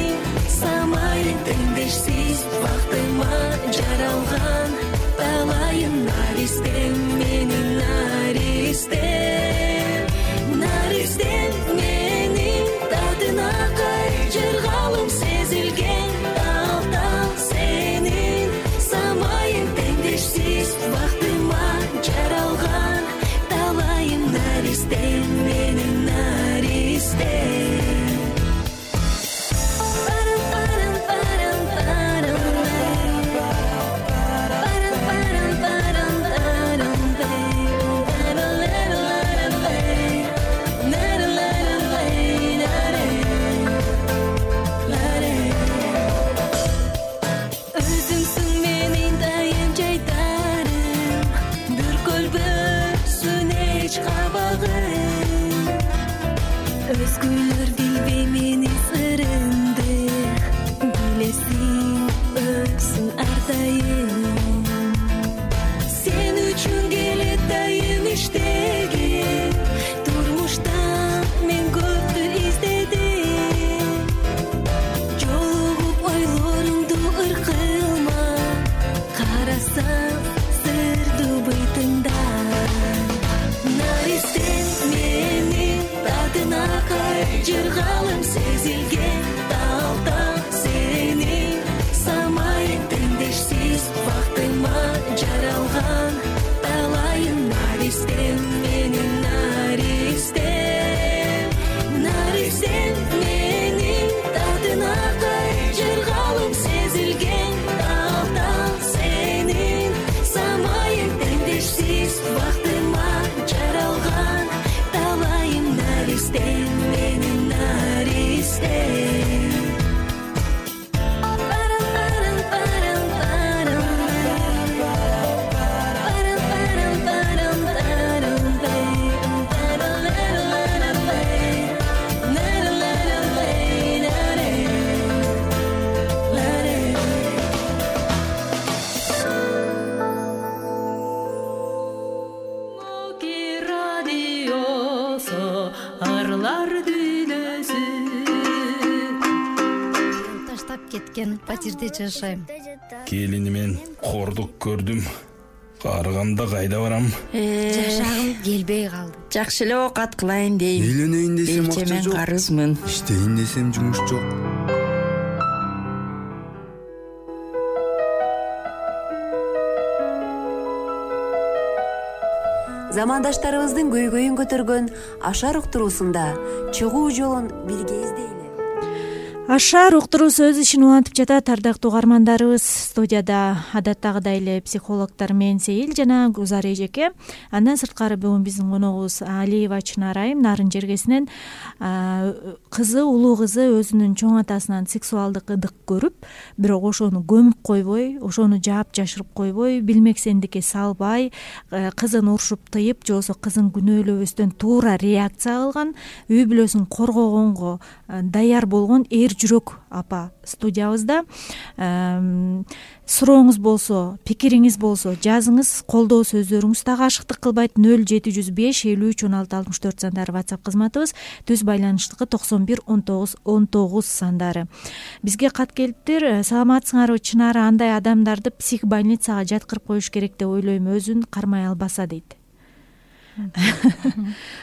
самайын теңдешсиз бактыма жаралган талайым. Наристен мени наристен, наристен мени татына кайжыргалым сезилген тал-тал сени самайын теңдешсиз бактыма жаралган талайым. Наристен мени наристен. Өзгөлөр билбей мени сырымды, билесиң өксүң ар дайым. Сен үчүн келет дайым иштегем, турмушта мен көптү издедим. Жолугуп ойлоруңду ыркылма, карасаң сырдуу бытыңда. Наристен мени татына кайжыргалым сезилген кеткен патирде жашайм. Келинимен кордук көрдүм. Карыганда кайда барам? Жашагым келбей калды. Жакшы эле оокат кылайын дейм. Үйленейин десем акча Мен жок. карызмын. Иштейин десем жумуш жок. Замандаштарыбыздын көйгөйүн көтөргөн Ашар уктуруусунда чыгуу жолун бирге издейли. Ашар уктуруусу өз ишин улантып жатат. Ардактуу угармандарыбыз, студияда адаттагыдай эле психологдор мен Сейил жана Гузар эжеке. Андан сырткары бүгүн биздин коногубуз Алиева Чынар айым Нарын жергесинен. Кызы, улуу кызы өзүнүн чоң атасынан сексуалдык ыдык көрүп, бирок ошону көмүп койбой, ошону жаап жашырып койбой, билмексендикке салбай, кызын урушуп тыйып, же болбосо кызын күнөөлөбөстөн туура реакция кылган, үй бүлөсүн коргогонго даяр болгон эр жүрөк апа студиябызда. Сурооңуз болсо, пикириңиз болсо жазыңыз. Колдоо сөздөрүңүз дагы ашыктык кылбайт. нөл жети жүз беш элүү үч он алты алтымыш төрт сандары WhatsApp кызматыбыз, түз байланыштыкы токсон бир он тогуз он тогуз сандары. Бизге кат келиптир. Саламатсыңарбы Чынары, андай адамдарды психбольницага жаткырып коюш керек деп ойлойм, өзүн кармай албаса дейт.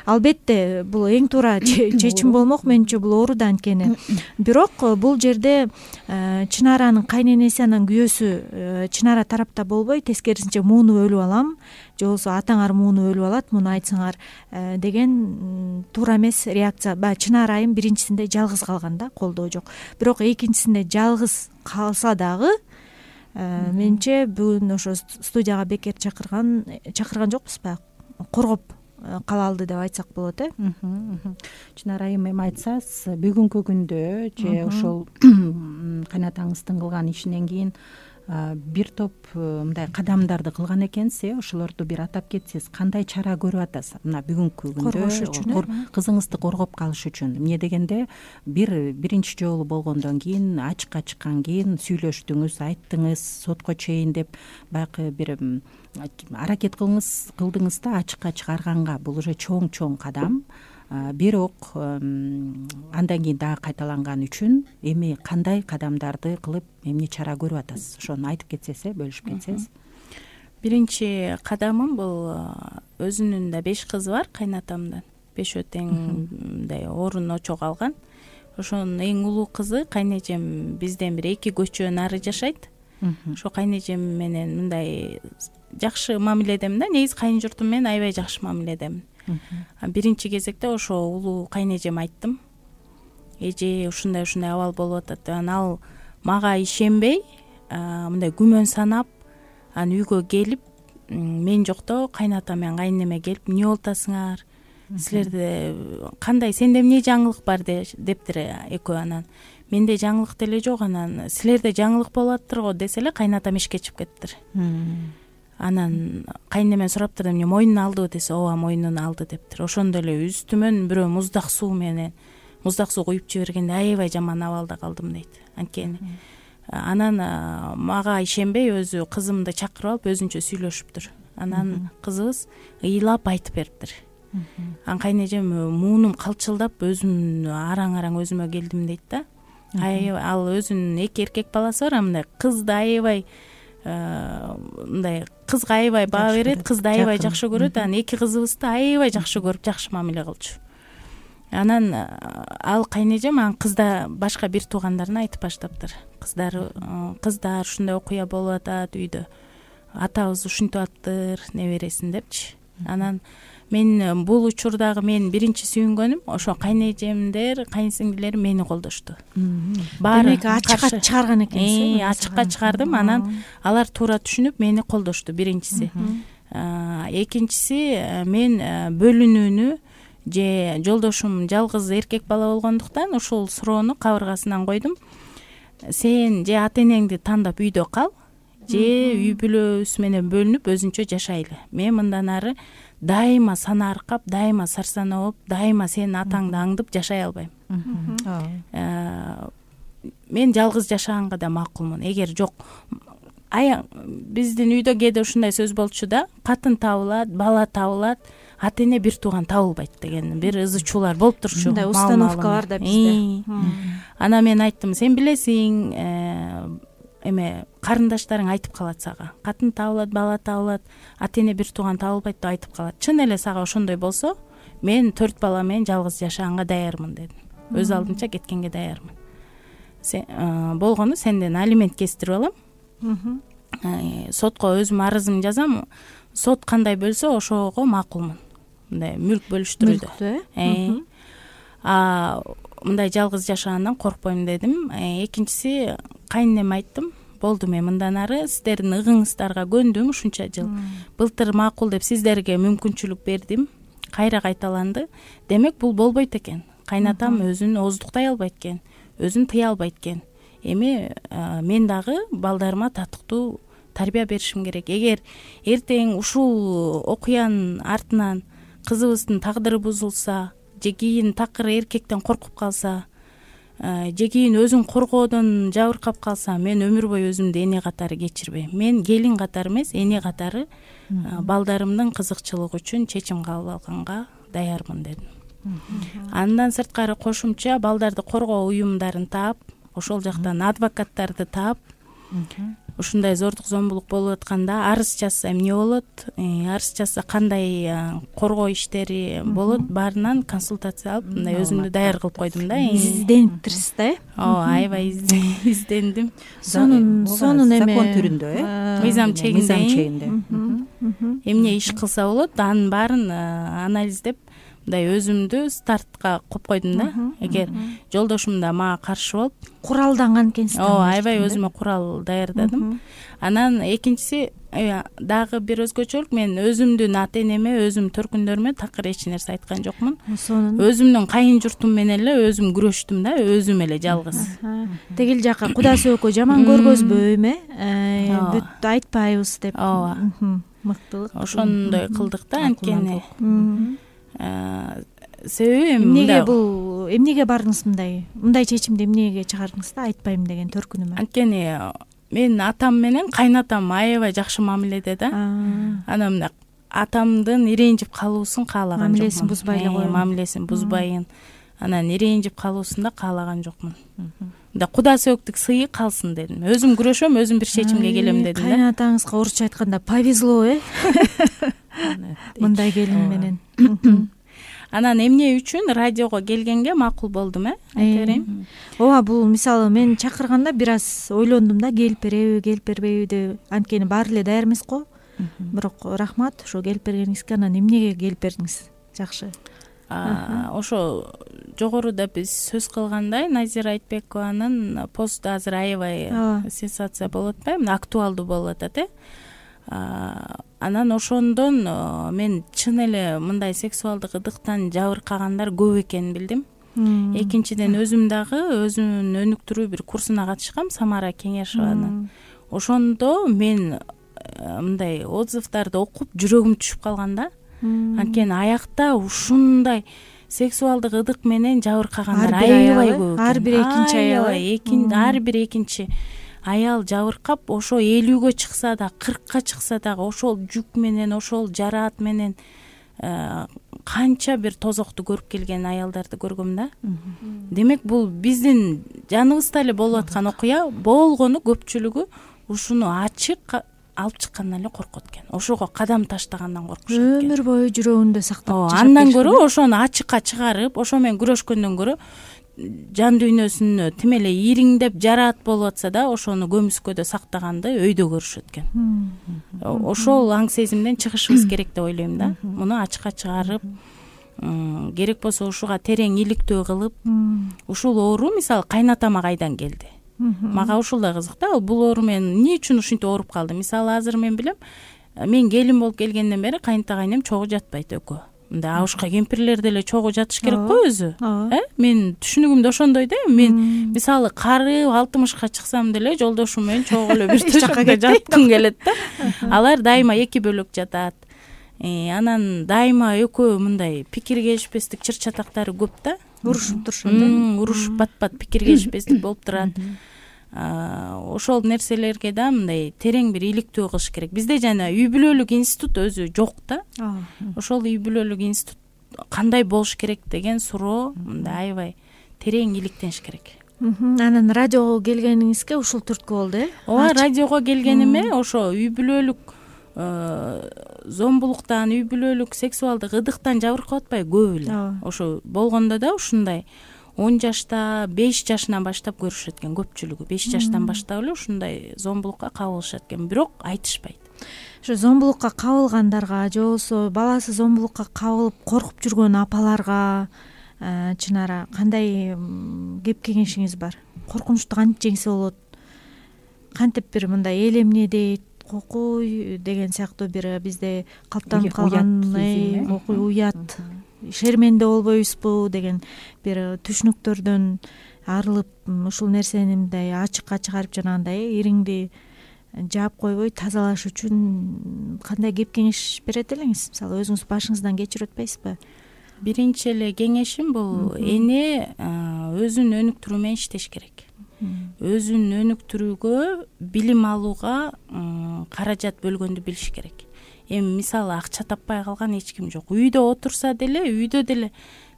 Албетте бул эң туура чечим болмок, менимче бул ооруду анткени. Бирок бул жерде Чынаранын кайненеси, анан күйөөсү Чынара тарапта болбой, тескерисинче муну өлүп алам, же болбосо атаңар муну өлүп алат, муну айтсаңар деген туура эмес реакция. Баягы Чынар айым биринчисинде жалгыз калганда колдоо жок. Бирок экинчисинде жалгыз калса дагы менимче бүгүн ошо студияга бекер чакырган чакырган жокпуз баягы, коргоп кала алды деп айтсак болот, э? Чынар айым, эми айтсаңыз, бүгүнкү күндө же ошол кайнатаңыздын кылган ишинен кийин бир топ мындай кадамдарды кылган экенсиз, э? Ошолорду бир атап кетсеңиз, кандай чара көрүп атасыз мына бүгүнкү күндө коргош үчүн, кызыңызды коргоп калыш үчүн? Эмне дегенде, бир биринчи жолу болгондон кийин, ачыкка чыккан кийин сүйлөштүңүз, айттыңыз, сотко чейин деп баягы бир аракет кылыңыз, кылдыңыз да ачыкка чыгарганга. Бул уже чоң-чоң кадам. Бирок андан кийин дагы кайталанган үчүн эми кандай кадамдарды кылып, эмне чара көрүп атасыз? Ошону айтып кетсеңиз, бөлүшүп кетсеңиз. Биринчи кадамым бул, өзүнүн да беш кызы бар кайнатамдан. Бешөө тең мындай орун очо калган. Ошонун эң улуу кызы кайнежем бизден бир эки көчө нары жашайт. Ошо кайнежем менен мындай жакшы мамиледемин да. Негизи кайын журтум менен аябай жакшы мамиледемин. Биринчи кезекте ошо улуу кайнежем айттым. Эже, ушундай ушундай абал болуп атат деп. Анан ал мага ишенбей, мындай күмөн санап, анан үйгө келип, мен жокто кайната менен кайнеме келип, эмне болуп атасыңар? Силерде кандай, сенде эмне жаңылык бар дептир экөө. Анан менде жаңылык деле жок, анан силерде жаңылык болуп атыптыр го десе эле кайнатам ишке чыгып кетиптир. Анан кайнемен сураптыр, эмне мойнуна алдыбы десе, ооба мойнуна алды дептир. Ошондо эле үстүмөн бирөө муздак суу менен муздак суу куюп жибергенде аябай жаман абалда калдым дейт. Анткени анан мага ишенбей өзү кызымды чакырып алып өзүнчө сүйлөшүптүр. Анан кызыбыз ыйлап айтып бериптир. Анан кайнежем муунум калчылдап өзүм араң-араң өзүмө келдим дейт да. Ал өзүнүн эки эркек баласы бар, мындай кызды аябай мындай кызга аябай баа берет, кызды аябай жакшы көрөт. Анан эки кызыбызды аябай жакшы көрүп, жакшы мамиле кылчу. Анан ал кайнежем анан кызда башка бир туугандарына айтып баштаптыр. Кыздары, кыздар ушундай окуя болуп атат үйдө. Атабыз ушинтип атыптыр, небересин депчи. Анан мен бул учурдагы мен биринчи сүйүнгөнүм ошо кайнежемдер, кайынсиңдилерим мени колдошту. Демек ачыкка чыгарган экенсиз. Э, ачыкка чыгардым. Анан алар туура түшүнүп мени колдошту, биринчиси. Экинчиси, мен бөлүнүүнү же жолдошум жалгыз эркек бала болгондуктан ушул суроону кабыргасынан койдум. Сен же ата энеңди тандап үйдө кал, же үй бүлөбүз менен бөлүнүп өзүнчө жашайлы. Мен мындан ары дайыма сана аркап, дайыма сарсана болуп, дайыма сенин атаңды аңдып жашай албайм. Мен жалгыз жашаганга да макулмун. Эгер жок аяң биздин үйдө кээде ушундай сөз болчу да, катын табылат, бала табылат, ата эне бир тууган табылбайт деген бир ызы чуулар болуп турчу. Мындай установка бар да бизде. Ана мен айттым, сен билесиң, эме карындаштарың айтып калат сага, катын табылат, бала табылат, ата эне бир тууган табылбайт деп айтып калат. Чын эле сага ошондой болсо, мен төрт бала менен жалгыз жашаганга даярмын дедим. Өз алдынча кеткенге даярмын. Сен болгону сенден алимент кестирип алам. Сотко өзүм арызымды жазам. Сот кандай бөлсө ошого макулмун. Мындай мүлк бөлүштүрүүдө. А мындай жалгыз жашагандан коркпойм дедим. Экинчиси, кайненеме айттым. Болду, мен мындан ары сиздердин ыгыңыздарга көндүм ушунча жыл. Былтыр макул деп сиздерге мүмкүнчүлүк бердим. Кайра кайталанды. Демек бул болбойт экен. Кайнатам өзүн оздуктай албайт экен, өзүн тыя албайт экен. Эми мен дагы балдарыма татыктуу тарбия беришим керек. Эгер эртең ушул окуянын артынан кызыбыздын тагдыры бузулса, же кийин такыр эркектен коркуп калса, же кийин өзүн коргоодон жабыркап калса, мен өмүр бою өзүмдү эне катары кечирбейм. Мен келин катары эмес, эне катары балдарымдын кызыкчылыгы үчүн чечим кабыл алганга даярмын дедим. Андан сырткары кошумча балдарды коргоо уюмдарын таап, ошол жактан адвокаттарды таап, ушундай зордук зомбулук болуп атканда арыз жазса эмне болот, арыз жазса кандай коргоо иштери болот, баарынан консультация алып, мындай өзүмдү даяр кылып койдум да. Издениптирсиз да, э? Ооба, аябай издендим. Сонун сонун эме закон түрүндө, э? Мыйзам чегинде. Эмне иш кылса болот, анын баарын анализдеп, мындай өзүмдү стартка коюп койдум да. Эгер жолдошум да мага каршы болуп, куралданган экенсиз. Ооба, аябай өзүмө курал даярдадым. Анан экинчиси дагы бир өзгөчөлүк, мен өзүмдүн ата энеме, өзүм төркүндөрүмө такыр эч нерсе айткан жокмун. Өзүмдүн кайын журтум менен эле өзүм күрөштүм да, өзүм эле жалгыз. Тегил жака Кудай сөкө жаман көргөзбөйм, э? Бүт айтпайбыз деп. Ооба. Мыктылык. Ошондой кылдык да, анткени. Себеби эмнеге бул эмнеге бардыңыз мындай мындай чечимди эмнеге чыгардыңыз да, айтпайм деген төркүнүмө? Анткени мен атам менен кайнатам аябай жакшы мамиледе да. Анан мына атамдын ирэнжип калуусун каалаган жокмун. Мамилесин бузбай эле койгон. Мамилесин бузбайын. Анан ирэнжип калуусун да каалаган жокмун. Мында Куда сөктүк сыйы калсын дедим. Өзүм күрөшөм, өзүм бир чечимге келем дедим да. Кайнатаңызга орусча айтканда повезло, э? Мындай келин менен. Анан эмне үчүн радиого келгенге макул болдум, э? Айта берейин. Ооба, бул мисалы мен чакырганда бир аз ойлондум да, келип береби, келип бербейби деп. Анткени баары эле даяр эмес го. Бирок рахмат ошо келип бергениңизге. Анан эмнеге келип бердиңиз? Жакшы. Ошо жогоруда биз сөз кылгандай, Назира Айтбекованын посту азыр аябай сенсация болуп атпайбы, актуалдуу болуп атат, э? Анан ошондон мен чын эле мындай сексуалдык ыдыктан жабыркагандар көп экенин билдим. Экинчиден өзүм дагы өзүмдүн өнүктүрүү бир курсуна катышкам, Самара Кеңешованын. Ошондо мен мындай отзывдарды окуп жүрөгүм түшүп калган да. Анткени аякта ушундай сексуалдык ыдык менен жабыркагандар аябай көп. Ар бир экинчи аял, ар бир экинчи аял жабыркап, ошо элүүгө чыкса да, кыркка чыкса дагы ошол жүк менен, ошол жараат менен канча бир тозокту көрүп келген аялдарды көргөм да. Демек бул биздин жаныбызда эле болуп аткан окуя, болгону көпчүлүгү ушуну ачык алып чыккандан эле коркот экен. Ошого кадам таштагандан коркушат экен. Өмүр бою жүрөгүндө сактап жашап. Андан көрө ошону ачыкка чыгарып, ошо менен күрөшкөндөн көрө жан дүйнөсүнө тим эле ириңдеп жараат болуп атса да, ошону көмүскөдө сактаганды өйдө көрүшөт экен. Ошол аң сезимден чыгышыбыз керек деп ойлойм да. Муну ачыкка чыгарып, керек болсо ушуга терең иликтөө кылып, ушул оору мисалы кайнатама кайдан келди? Мага ушул да кызык да, бул оору менен эмне үчүн ушинтип ооруп калдым? Мисалы азыр мен билем, мен келин болуп келгенден бери кайнта кайнем чогуу жатпайт экөө. Мындай абышка кемпирлер деле чогуу жатыш керек го өзү. Э? Мен түшүнүгүм да ошондой да. Мен мисалы карып алтымышка чыксам деле жолдошум менен чогуу эле бир төшөккө жаткым келет да. Алар дайыма эки бөлөк жатат. Анан дайыма экөө мындай пикир келишпестик чыр чатактары көп да. Урушуп турушат да. Урушуп бат-бат пикир келишпестик болуп турат. ошол нерселерге да мындай терең бир иликтөө кылыш керек. Бизде жана үй бүлөлүк институт өзү жок да. Ошол үй бүлөлүк институт кандай болуш керек деген суроо мындай аябай терең иликтениш керек. Анан радиого келгениңизге ушул түрткү болду э? Ооба, радиого келгениме ошо үй бүлөлүк зомбулуктан, үй бүлөлүк сексуалдык ыдыктан жабыркап атпайбы көп эле. Ошо болгондо да ушундай он жашта, беш жашынан баштап көрүшөт экен көпчүлүгү. беш жаштан баштап эле ушундай зомбулукка кабылышат экен, бирок айтышпайт. Ошо зомбулукка кабылгандарга же болбосо баласы зомбулукка кабылып коркуп жүргөн апаларга Чынара кандай кеп кеңешиңиз бар? Коркунучту кантип жеңсе болот? Кантип бир мындай эл эмне дейт, кокуй деген сыяктуу бир бизде калыптанып калган кокуй, уят, шерменде болбойбузбу деген бир түшүнүктөрдөн арылып ушул нерсени мындай ачыкка чыгарып жанагындай ириңди жаап койбой тазалаш үчүн кандай кеп кеңеш берет элеңиз? Мисалы өзүңүз башыңыздан кечирип атпайсызбы? Биринчи эле кеңешим бул эне өзүн өнүктүрүү менен иштеш керек. Өзүн өнүктүрүүгө, билим алууга каражат бөлгөндү билиш керек. Эми мисалы акча таппай калган эч ким жок. Үйдө отурса деле, үйдө деле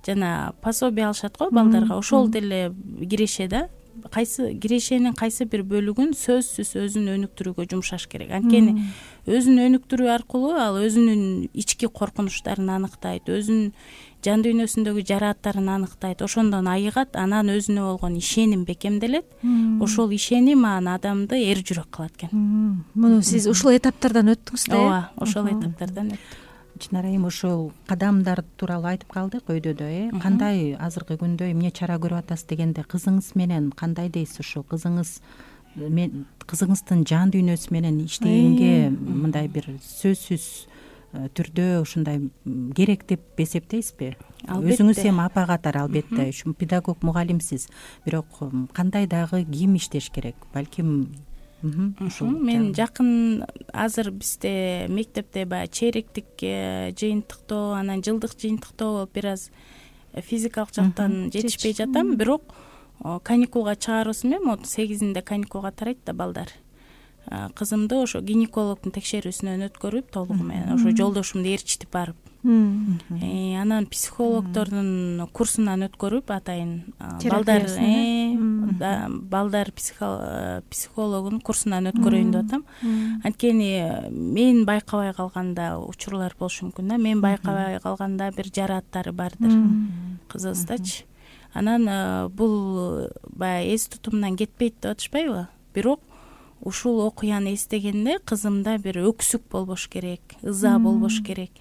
жана пособие алышат го балдарга, ошол деле киреше да. Кайсы кирешенин кайсы бир бөлүгүн сөзсүз өзүн өнүктүрүүгө жумшаш керек. Анткени өзүн өнүктүрүү аркылуу ал өзүнүн ички коркунучтарын аныктайт, өзүнүн жан дүйнөсүндөгү жарааттарын аныктайт, ошондон айыгат, анан өзүнө болгон ишеним бекемделет. Ошол ишеним анан адамды эр жүрөк кылат экен. Муну сиз ушул этаптардан өттүңүз да? Ооба, ошол этаптардан өттүм. Чынара эми ошол кадамдар тууралуу айтып калдык өйдөдө, э кандай азыркы күндө эмне чара көрүп атасыз дегенде кызыңыз менен кандай дейсиз? Ошо кызыңыз мен кызыңыздын жан дүйнөсү менен иштегенге мындай бир сөзсүз түрдө ушундай керек деп эсептейсизби? Өзүңүз эми апа катары албетте ушу педагог мугалимсиз, бирок кандай дагы ким иштеш керек? Балким мен жакын азыр бизде мектепте баягы чейректик жыйынтыктоо, анан жылдык жыйынтыктоо болуп бир аз физикалык жактан жетишпей жатам, бирок каникулга чыгаруусу менен отуз сегизинде каникулга тарайт да балдар. Кызымды ошо гинекологдун текшерүүсүнөн өткөрүп толугу менен ошо жолдошумду ээрчитип барып, анан психологдордун курсунан өткөрүп атайын балдар балдар психологунун курсунан өткөрөйүн деп атам. Анткени мен байкабай калганда учурлар болушу мүмкүн да. Мен байкабай калганда бир жарааттары бардыр кызыбыздачы. Анан бул баягы эс тутумунан кетпейт деп атышпайбы? Бирок ушул окуяны эстегенде кызымда бир өксүк болбош керек, ыза болбош керек.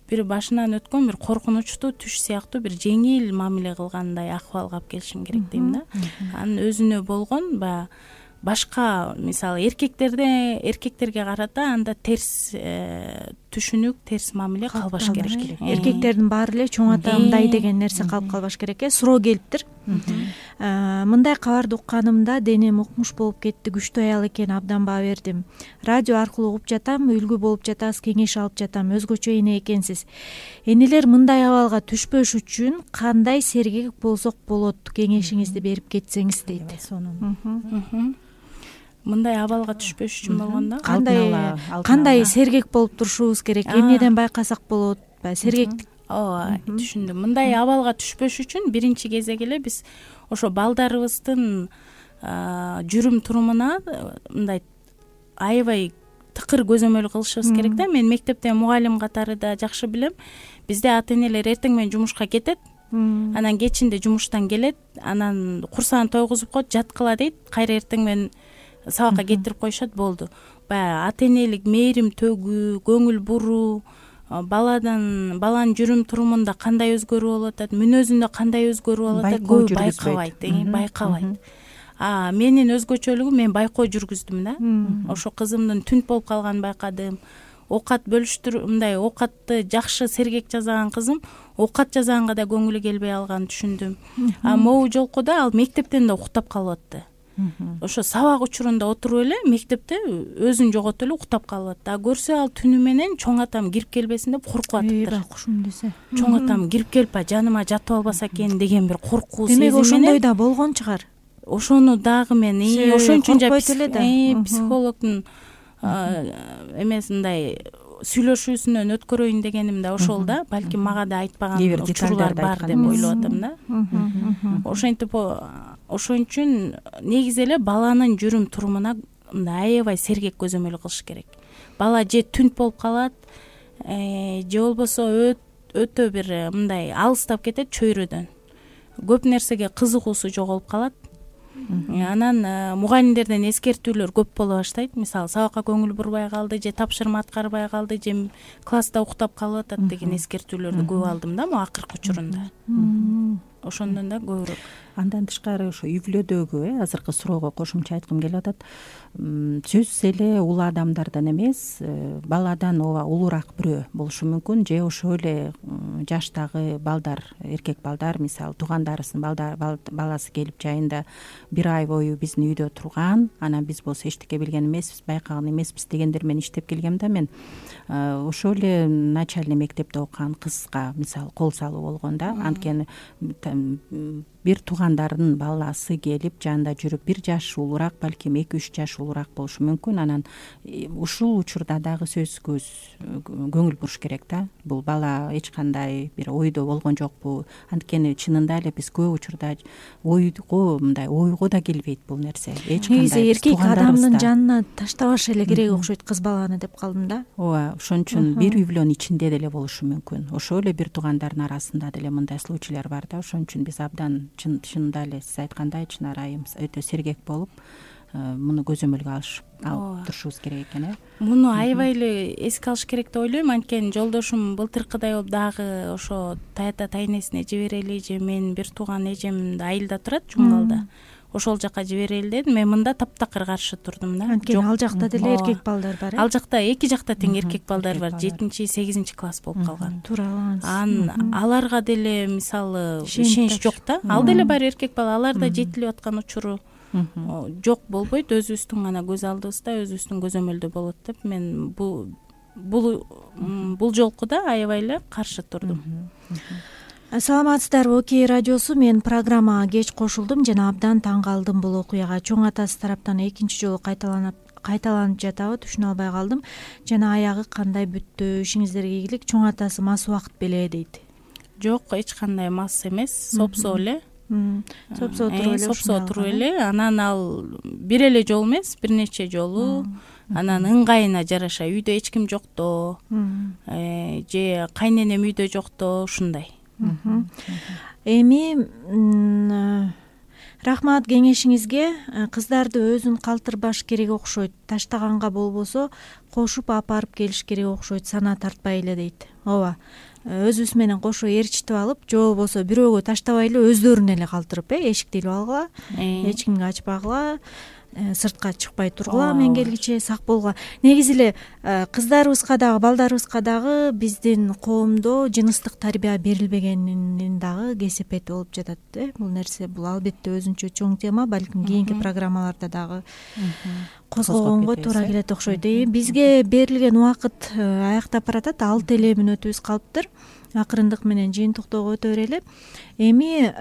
Бир башынан өткөн бир коркунучтуу түш сыяктуу бир жеңил мамиле кылгандай акыбалга алып келишим керек дейм да. Анын өзүнө болгон баягы башка мисалы эркектерде эркектерге карата анда терс түшүнүк, терс мамиле калбаш керек. Эркектердин баары эле чоң ата мындай деген нерсе калып калбаш керек э. Суроо келиптир. Мындай кабарды укканымда денем укмуш болуп кетти, күчтүү аял экен, абдан баа бердим. Радио аркылуу угуп жатам, үлгү болуп жатабыз, кеңеш алып жатам. Өзгөчө эне экенсиз. Энелер мындай абалга түшпөш үчүн кандай сергек болсок болот? Кеңешиңизди берип кетсеңиз дейт. Мындай абалга түшпөш үчүн болгондо кандай кандай сергек болуп турушубуз керек? Эмнеден байкасак болот? Баягы сергектик. Ооба, түшүндүм. Мындай абалга түшпөш үчүн биринчи кезек эле биз ошо балдарыбыздын жүрүм турумуна мындай аябай тыкыр көзөмөл кылышыбыз керек да. Мен мектепте мугалим катары да жакшы билем. Бизде ата энелер эртең менен жумушка кетет, анан кечинде жумуштан келет, анан курсагын тойгузуп коет, жаткыла дейт, кайра эртең менен сабакка кетирип коюшат, болду. Баягы ата энелик мээрим төгүү, көңүл буруу, баладан баланын жүрүм турумунда кандай өзгөрүү болуп атат, мүнөзүндө кандай өзгөрүү болуп атат, көп байкабайт, байкабайт. А менин өзгөчөлүгүм, мен байкоо жүргүздүм да. Ошо кызымдын түнт болуп калганын байкадым. Оокат бөлүштүр, мындай оокатты жакшы сергек жасаган кызым оокат жасаганга да көңүлү келбей алганын түшүндүм. А могу жолку да ал мектептен да уктап калып атты. Ошо сабак учурунда отуруп эле мектепте өзүн жоготуп эле уктап калып атты. А көрсө ал түнү менен чоң атам кирип келбесин деп коркуп атыптыр. Кушум десе. Чоң атам кирип келип жаныма жатып албаса экен деген бир коркуу сезим менен. Демек ошондой да болгон чыгар. ошону дагы мен ошон үчүн эле психологдун эмес мындай сүйлөшүүсүнөн өткөрөйүн дегеним да ошол да, балким мага да айтпаган учурлар бар деп ойлоп атам да. Ошентип ошон үчүн негизи эле баланын жүрүм турумуна мындай аябай сергек көзөмөл кылыш керек. Бала же түнт болуп калат, же болбосо өтө бир мындай алыстап кетет чөйрөдөн. Көп нерсеге кызыгуусу жоголуп калат. Анан мугалимдерден эскертүүлөр көп боло баштайт. Мисалы, сабакка көңүл бурбай калды, же тапшырма аткарбай калды, же класста уктап калып атат деген эскертүүлөрдү көп алдым да могу акыркы учурунда. Ошондон да көбүрөөк. Андан тышкары ошо үй бүлөдөгү э азыркы суроого кошумча айткым келип атат. Сөзсүз эле улуу адамдардан эмес, баладан ооба улуураак бирөө болушу мүмкүн, же ошо эле жаштагы балдар, эркек балдар, мисалы туугандарыбыздын баласы келип жайында бир ай бою биздин үйдө турган, анан биз болсо эчтеке билген эмеспиз, байкаган эмеспиз дегендер менен иштеп келгем да мен. Ошол эле начальный мектепте окуган кызга мисалы кол салуу болгон да, анткени бир туугандарынын баласы келип жанында жүрүп бир жаш улуураак, балким эки үч жаш улуураак болушу мүмкүн. Анан ушул учурда дагы сөзсүз көңүл буруш керек да. Бул бала эч кандай бир ойдо болгон жокпу? Анткени чынында эле биз көп учурда ойго мындай ойго да келбейт бул нерсе. Эч кандай негизи эркек адамдын жанына таштабаш эле керек окшойт кыз баланы деп калдым да. Ооба, ошон үчүн бир үй бүлөнүн ичинде деле болушу мүмкүн. Ошол эле бир туугандардын арасында деле мындай случайлар бар да. Ошон үчүн биз абдан чынында эле сиз айткандай Чынар айым өтө сергек болуп муну көзөмөлгө алыш алып турушубуз керек экен э. Муну аябай эле эске алыш керек деп ойлойм. Анткени жолдошум былтыркыдай болуп дагы ошо тайата тайнесине жиберели, же мен бир тууган эжем айылда турат, Жумгалда. Ошол жака жиберели дедим. Мен мында таптакыр каршы турдум да. Анткени ал жакта деле эркек балдар бар э. Ал жакта эки жакта тең эркек балдар бар. жетинчи сегизинчи класс болуп калган. Туура алгансыз. Ан аларга деле мисалы ишенич жок да. Ал деле бар эркек бала, алар да жетилип аткан учуру жок болбойт. Өзүбүздүн гана көз алдыбызда, өзүбүздүн көзөмөлдө болот деп мен бул бул бул жолку да аябай эле каршы турдум. Саламатсыздарбы, Окей радиосу. Мен программага кеч кошулдум жана абдан таң калдым бул окуяга. Чоң атасы тараптан экинчи жолу кайталанып кайталанып жатабы, түшүнө албай калдым. Жана аягы кандай бүттү? Ишиңиздерге ийгилик. Чоң атасы мас убакыт беле дейт. Жок, эч кандай мас эмес, сопсо эле. Сопсо туруп эле. Сопсо туруп эле. Анан ал бир эле жолу эмес, бир нече жолу. Анан ыңгайына жараша үйдө эч ким жокто, же кайненем үйдө жокто, ушундай. Эми рахмат кеңешиңизге. Кыздарды өзүн калтырбаш керек окшойт. Таштаганга болбосо кошуп апарып келиш керек окшойт, сана тартпай эле дейт. Ооба. Өзүбүз менен кошо ээрчитип алып, же болбосо бирөөгө таштабай эле өздөрүн эле калтырып, э, эшикти илип алгыла, эч кимге ачпагыла, сыртка чыкпай тургула, мен келгиче сак болгула. Негизи эле кыздарыбызга дагы, балдарыбызга дагы биздин коомдо жыныстык тарбия берилбегенин дагы кесепети болуп жатат, э. Бул нерсе бул албетте өзүнчө чоң тема, балким кийинки программаларда дагы козгогонго туура келет окшойт. Бизге берилген убакыт аяктап баратат, алты эле мүнөтүбүз калыптыр. Акырындык менен жыйынтыктоого өтө берели. Эми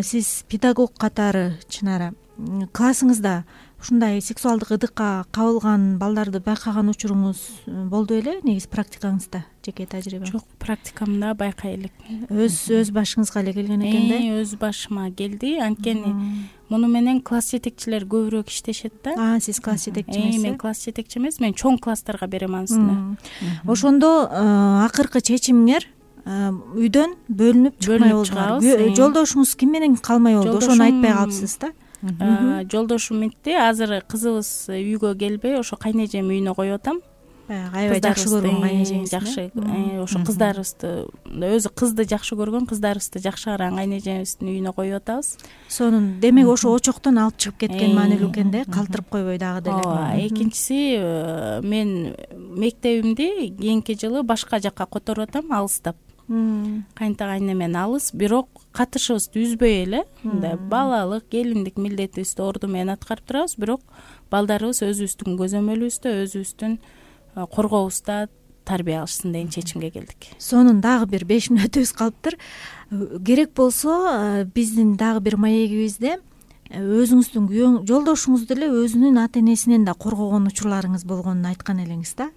сиз педагог катары, Чынара, классыңызда ушундай сексуалдык ыдыкка кабылган балдарды байкаган учуруңуз болду беле? Негизи практикаңызда, жеке тажрыйба? Жок, практикамда байкай элек. Өз өз башыңызга эле келген экен да? Өз башыма келди. Анткени муну менен класс жетекчилер көбүрөөк иштешет да. А, сиз класс жетекчи эмессиз? Мен класс жетекчи эмес, мен чоң класстарга берем анысына. Ошондо акыркы чечимиңер үйдөн бөлүнүп чыкмай болду. Жолдошуңуз ким менен калмай болду? Ошону айтпай калыпсыз да? Жолдошум мынтти, азыр кызыбыз үйгө келбей, ошо кайнежем үйүнө коюп атам. Аябай жакшы көргөн кайнежеңиз. Жакшы, ошо кыздарыбызды, өзү кызды жакшы көргөн, кыздарыбызды жакшы караган кайнежемиздин үйүнө коюп атабыз. Сонун, демек ошо очоктон алып чыгып кеткен маанилүү экен да, калтырып койбой дагы деле. Ооба, экинчиси мен мектебимди кийинки жылы башка жакка которуп атам, алыстап. Кайнта кайнемен алыс, бирок катышыбызды үзбөй эле, мындай балалык, келиндик милдетибизди орду менен аткарып турабыз, бирок балдарыбыз өзүбүздүн көзөмөлүбүздө, өзүбүздүн коргообузда тарбия алышсын деген чечимге келдик. Сонун дагы бир беш мүнөтүбүз калыптыр. Керек болсо биздин дагы бир маегибизде өзүңүздүн күйөөң жолдошуңузду эле өзүнүн ата энесинен да коргогон учурларыңыз болгонун айткан элеңиз да.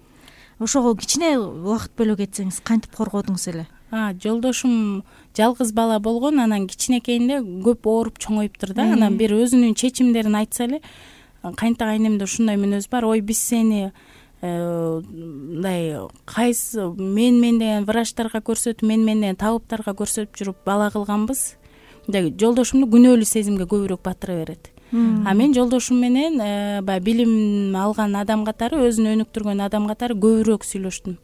Ошого кичине убакыт бөлө кетсеңиз, кантип коргодуңуз эле? Жолдошум жалгыз бала болгон, анан кичинекейинде көп ооруп чоңоюптур да. Анан бир өзүнүн чечимдерин айтса эле, кайнта кайнемде ушундай мүнөз бар. Ой, биз сени мындай кайсы мен мен деген врачтарга көрсөтүп, мен мен деген табыптарга көрсөтүп жүрүп бала кылганбыз. Мындай жолдошумду күнөөлүү сезимге көбүрөөк батыра берет. А мен жолдошум менен баягы билим алган адам катары, өзүн өнүктүргөн адам катары көбүрөөк сүйлөштүм.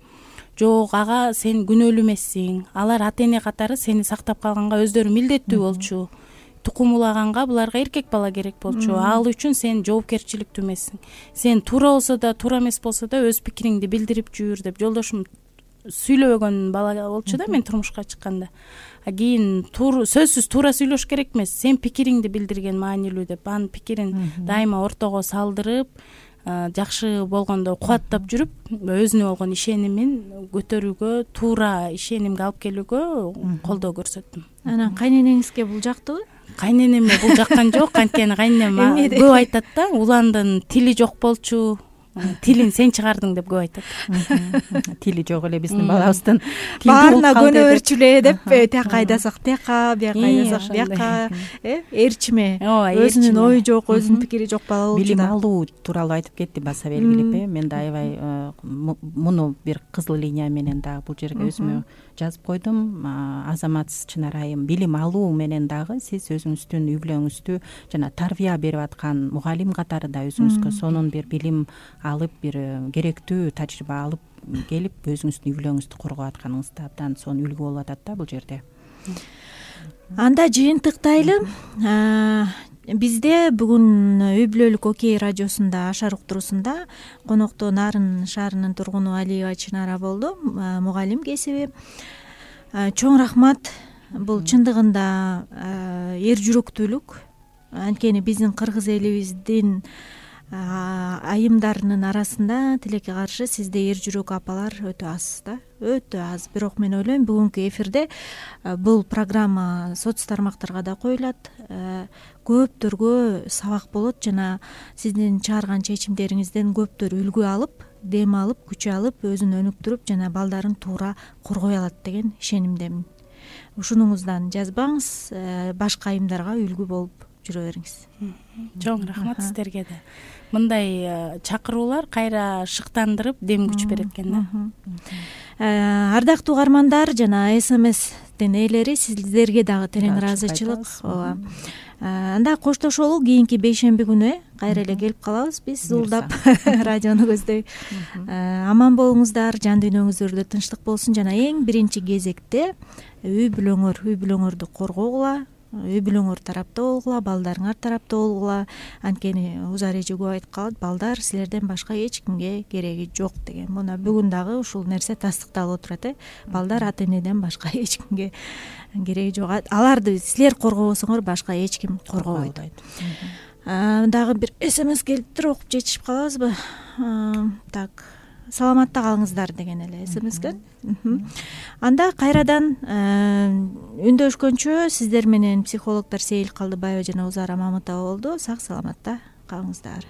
Жок, ага сен күнөөлүү эмессиң. Алар ата эне катары сени сактап калганга өздөрү милдеттүү болчу. Тукум улаганга буларга эркек бала керек болчу. Ал үчүн сен жоопкерчиликтүү эмессиң. Сен туура болсо да, туура эмес болсо да өз пикириңди билдирип жүр деп жолдошум сүйлөбөгөн бала болчу да мен турмушка чыкканда. Кийин сөзсүз туура сүйлөш керек эмес, сен пикириңди билдирген маанилүү деп анын пикирин дайыма ортого салдырып, жакшы болгондо кубаттап жүрүп, өзүнө болгон ишенимин көтөрүүгө, туура ишенимге алып келүүгө колдоо көрсөттүм. Анан кайненеңизге бул жактыбы? Кайненеме бул жаккан жок, анткени кайненем көп айтат да, уландын тили жок болчу, тилин сен чыгардың деп көп айтат. Тили жок эле биздин балабыздын. Баарына көнө берчүлө деп, тияка айдасак тияка, бияка айдасак бияка, э, эрчиме. Өзүнүн ою жок, өзүнүн пикири жок бала болчу да. Билим алуу тууралуу айтып кетти баса белгилеп, э. Мен да аябай муну бир кызыл линия менен дагы бул жерге өзүмө жазып койдум. Азамат Чынар айым, билим алуу менен дагы сиз өзүңүздүн үй бүлөңүздү жана тарбия берип аткан мугалим катары да өзүңүзгө сонун бир билим алып, бир керектүү тажрыйба алып келип өзүңүздүн үй бүлөңүздү коргоп атканыңызда абдан сонун үлгү болуп атат да бул жерде. Анда жыйынтыктайлы. Бизде бүгүн үй бүлөлүк Окей радиосунда Ашар уктуруусунда конокто Нарын шаарынын тургуну Алиева Чынара болду, мугалим кесиби. Чоң рахмат. Бул чындыгында эр жүрөктүүлүк. Анткени биздин кыргыз элибиздин айымдарынын арасында тилекке каршы сизде эр жүрөк апалар өтө аз да, өтө аз. Бирок мен ойлойм бүгүнкү эфирде бул программа соц тармактарга да коюлат, көптөргө сабак болот жана сиздин чыгарган чечимдериңизден көптөр үлгү алып, дем алып, күч алып, өзүн өнүктүрүп жана балдарын туура коргой алат деген ишенимдемин. Ушунуңуздан жазбаңыз, башка айымдарга үлгү болуп жүрө бериңиз. Чоң рахмат сиздерге да. Мындай чакыруулар кайра шыктандырып, дем күч берет экен да. Ардактуу угармандар жана эс эм эстин ээлери, сиздерге дагы терең ыраазычылык. Ооба. Анда коштошолу кийинки бейшемби күнү кайра эле келип калабыз биз зулдап радиону көздөй. Аман болуңуздар, жан дүйнөңүздөрдө тынчтык болсун жана эң биринчи кезекте үй бүлөңөр, үй бүлөңөрдү коргогула, үй бүлөңөр тарапта болгула, балдарыңар тарапта болгула. Анткени Узар эже көп айтып калат, балдар силерден башка эч кимге кереги жок деген. Мына бүгүн дагы ушул нерсе тастыкталып отурат, э. Балдар ата энеден башка эч кимге кереги жок. Аларды силер коргобосоңор башка эч ким коргобойт. Дагы бир эс эм эс келиптир, окуп жетишип калабызбы? Так, саламатта калыңыздар деген эле эс эм эс. Анда кайрадан үндөшкөнчө сиздер менен психологдор Сейил Калдыбаева жана Узара Мамытова болду. Сак саламатта калыңыздар.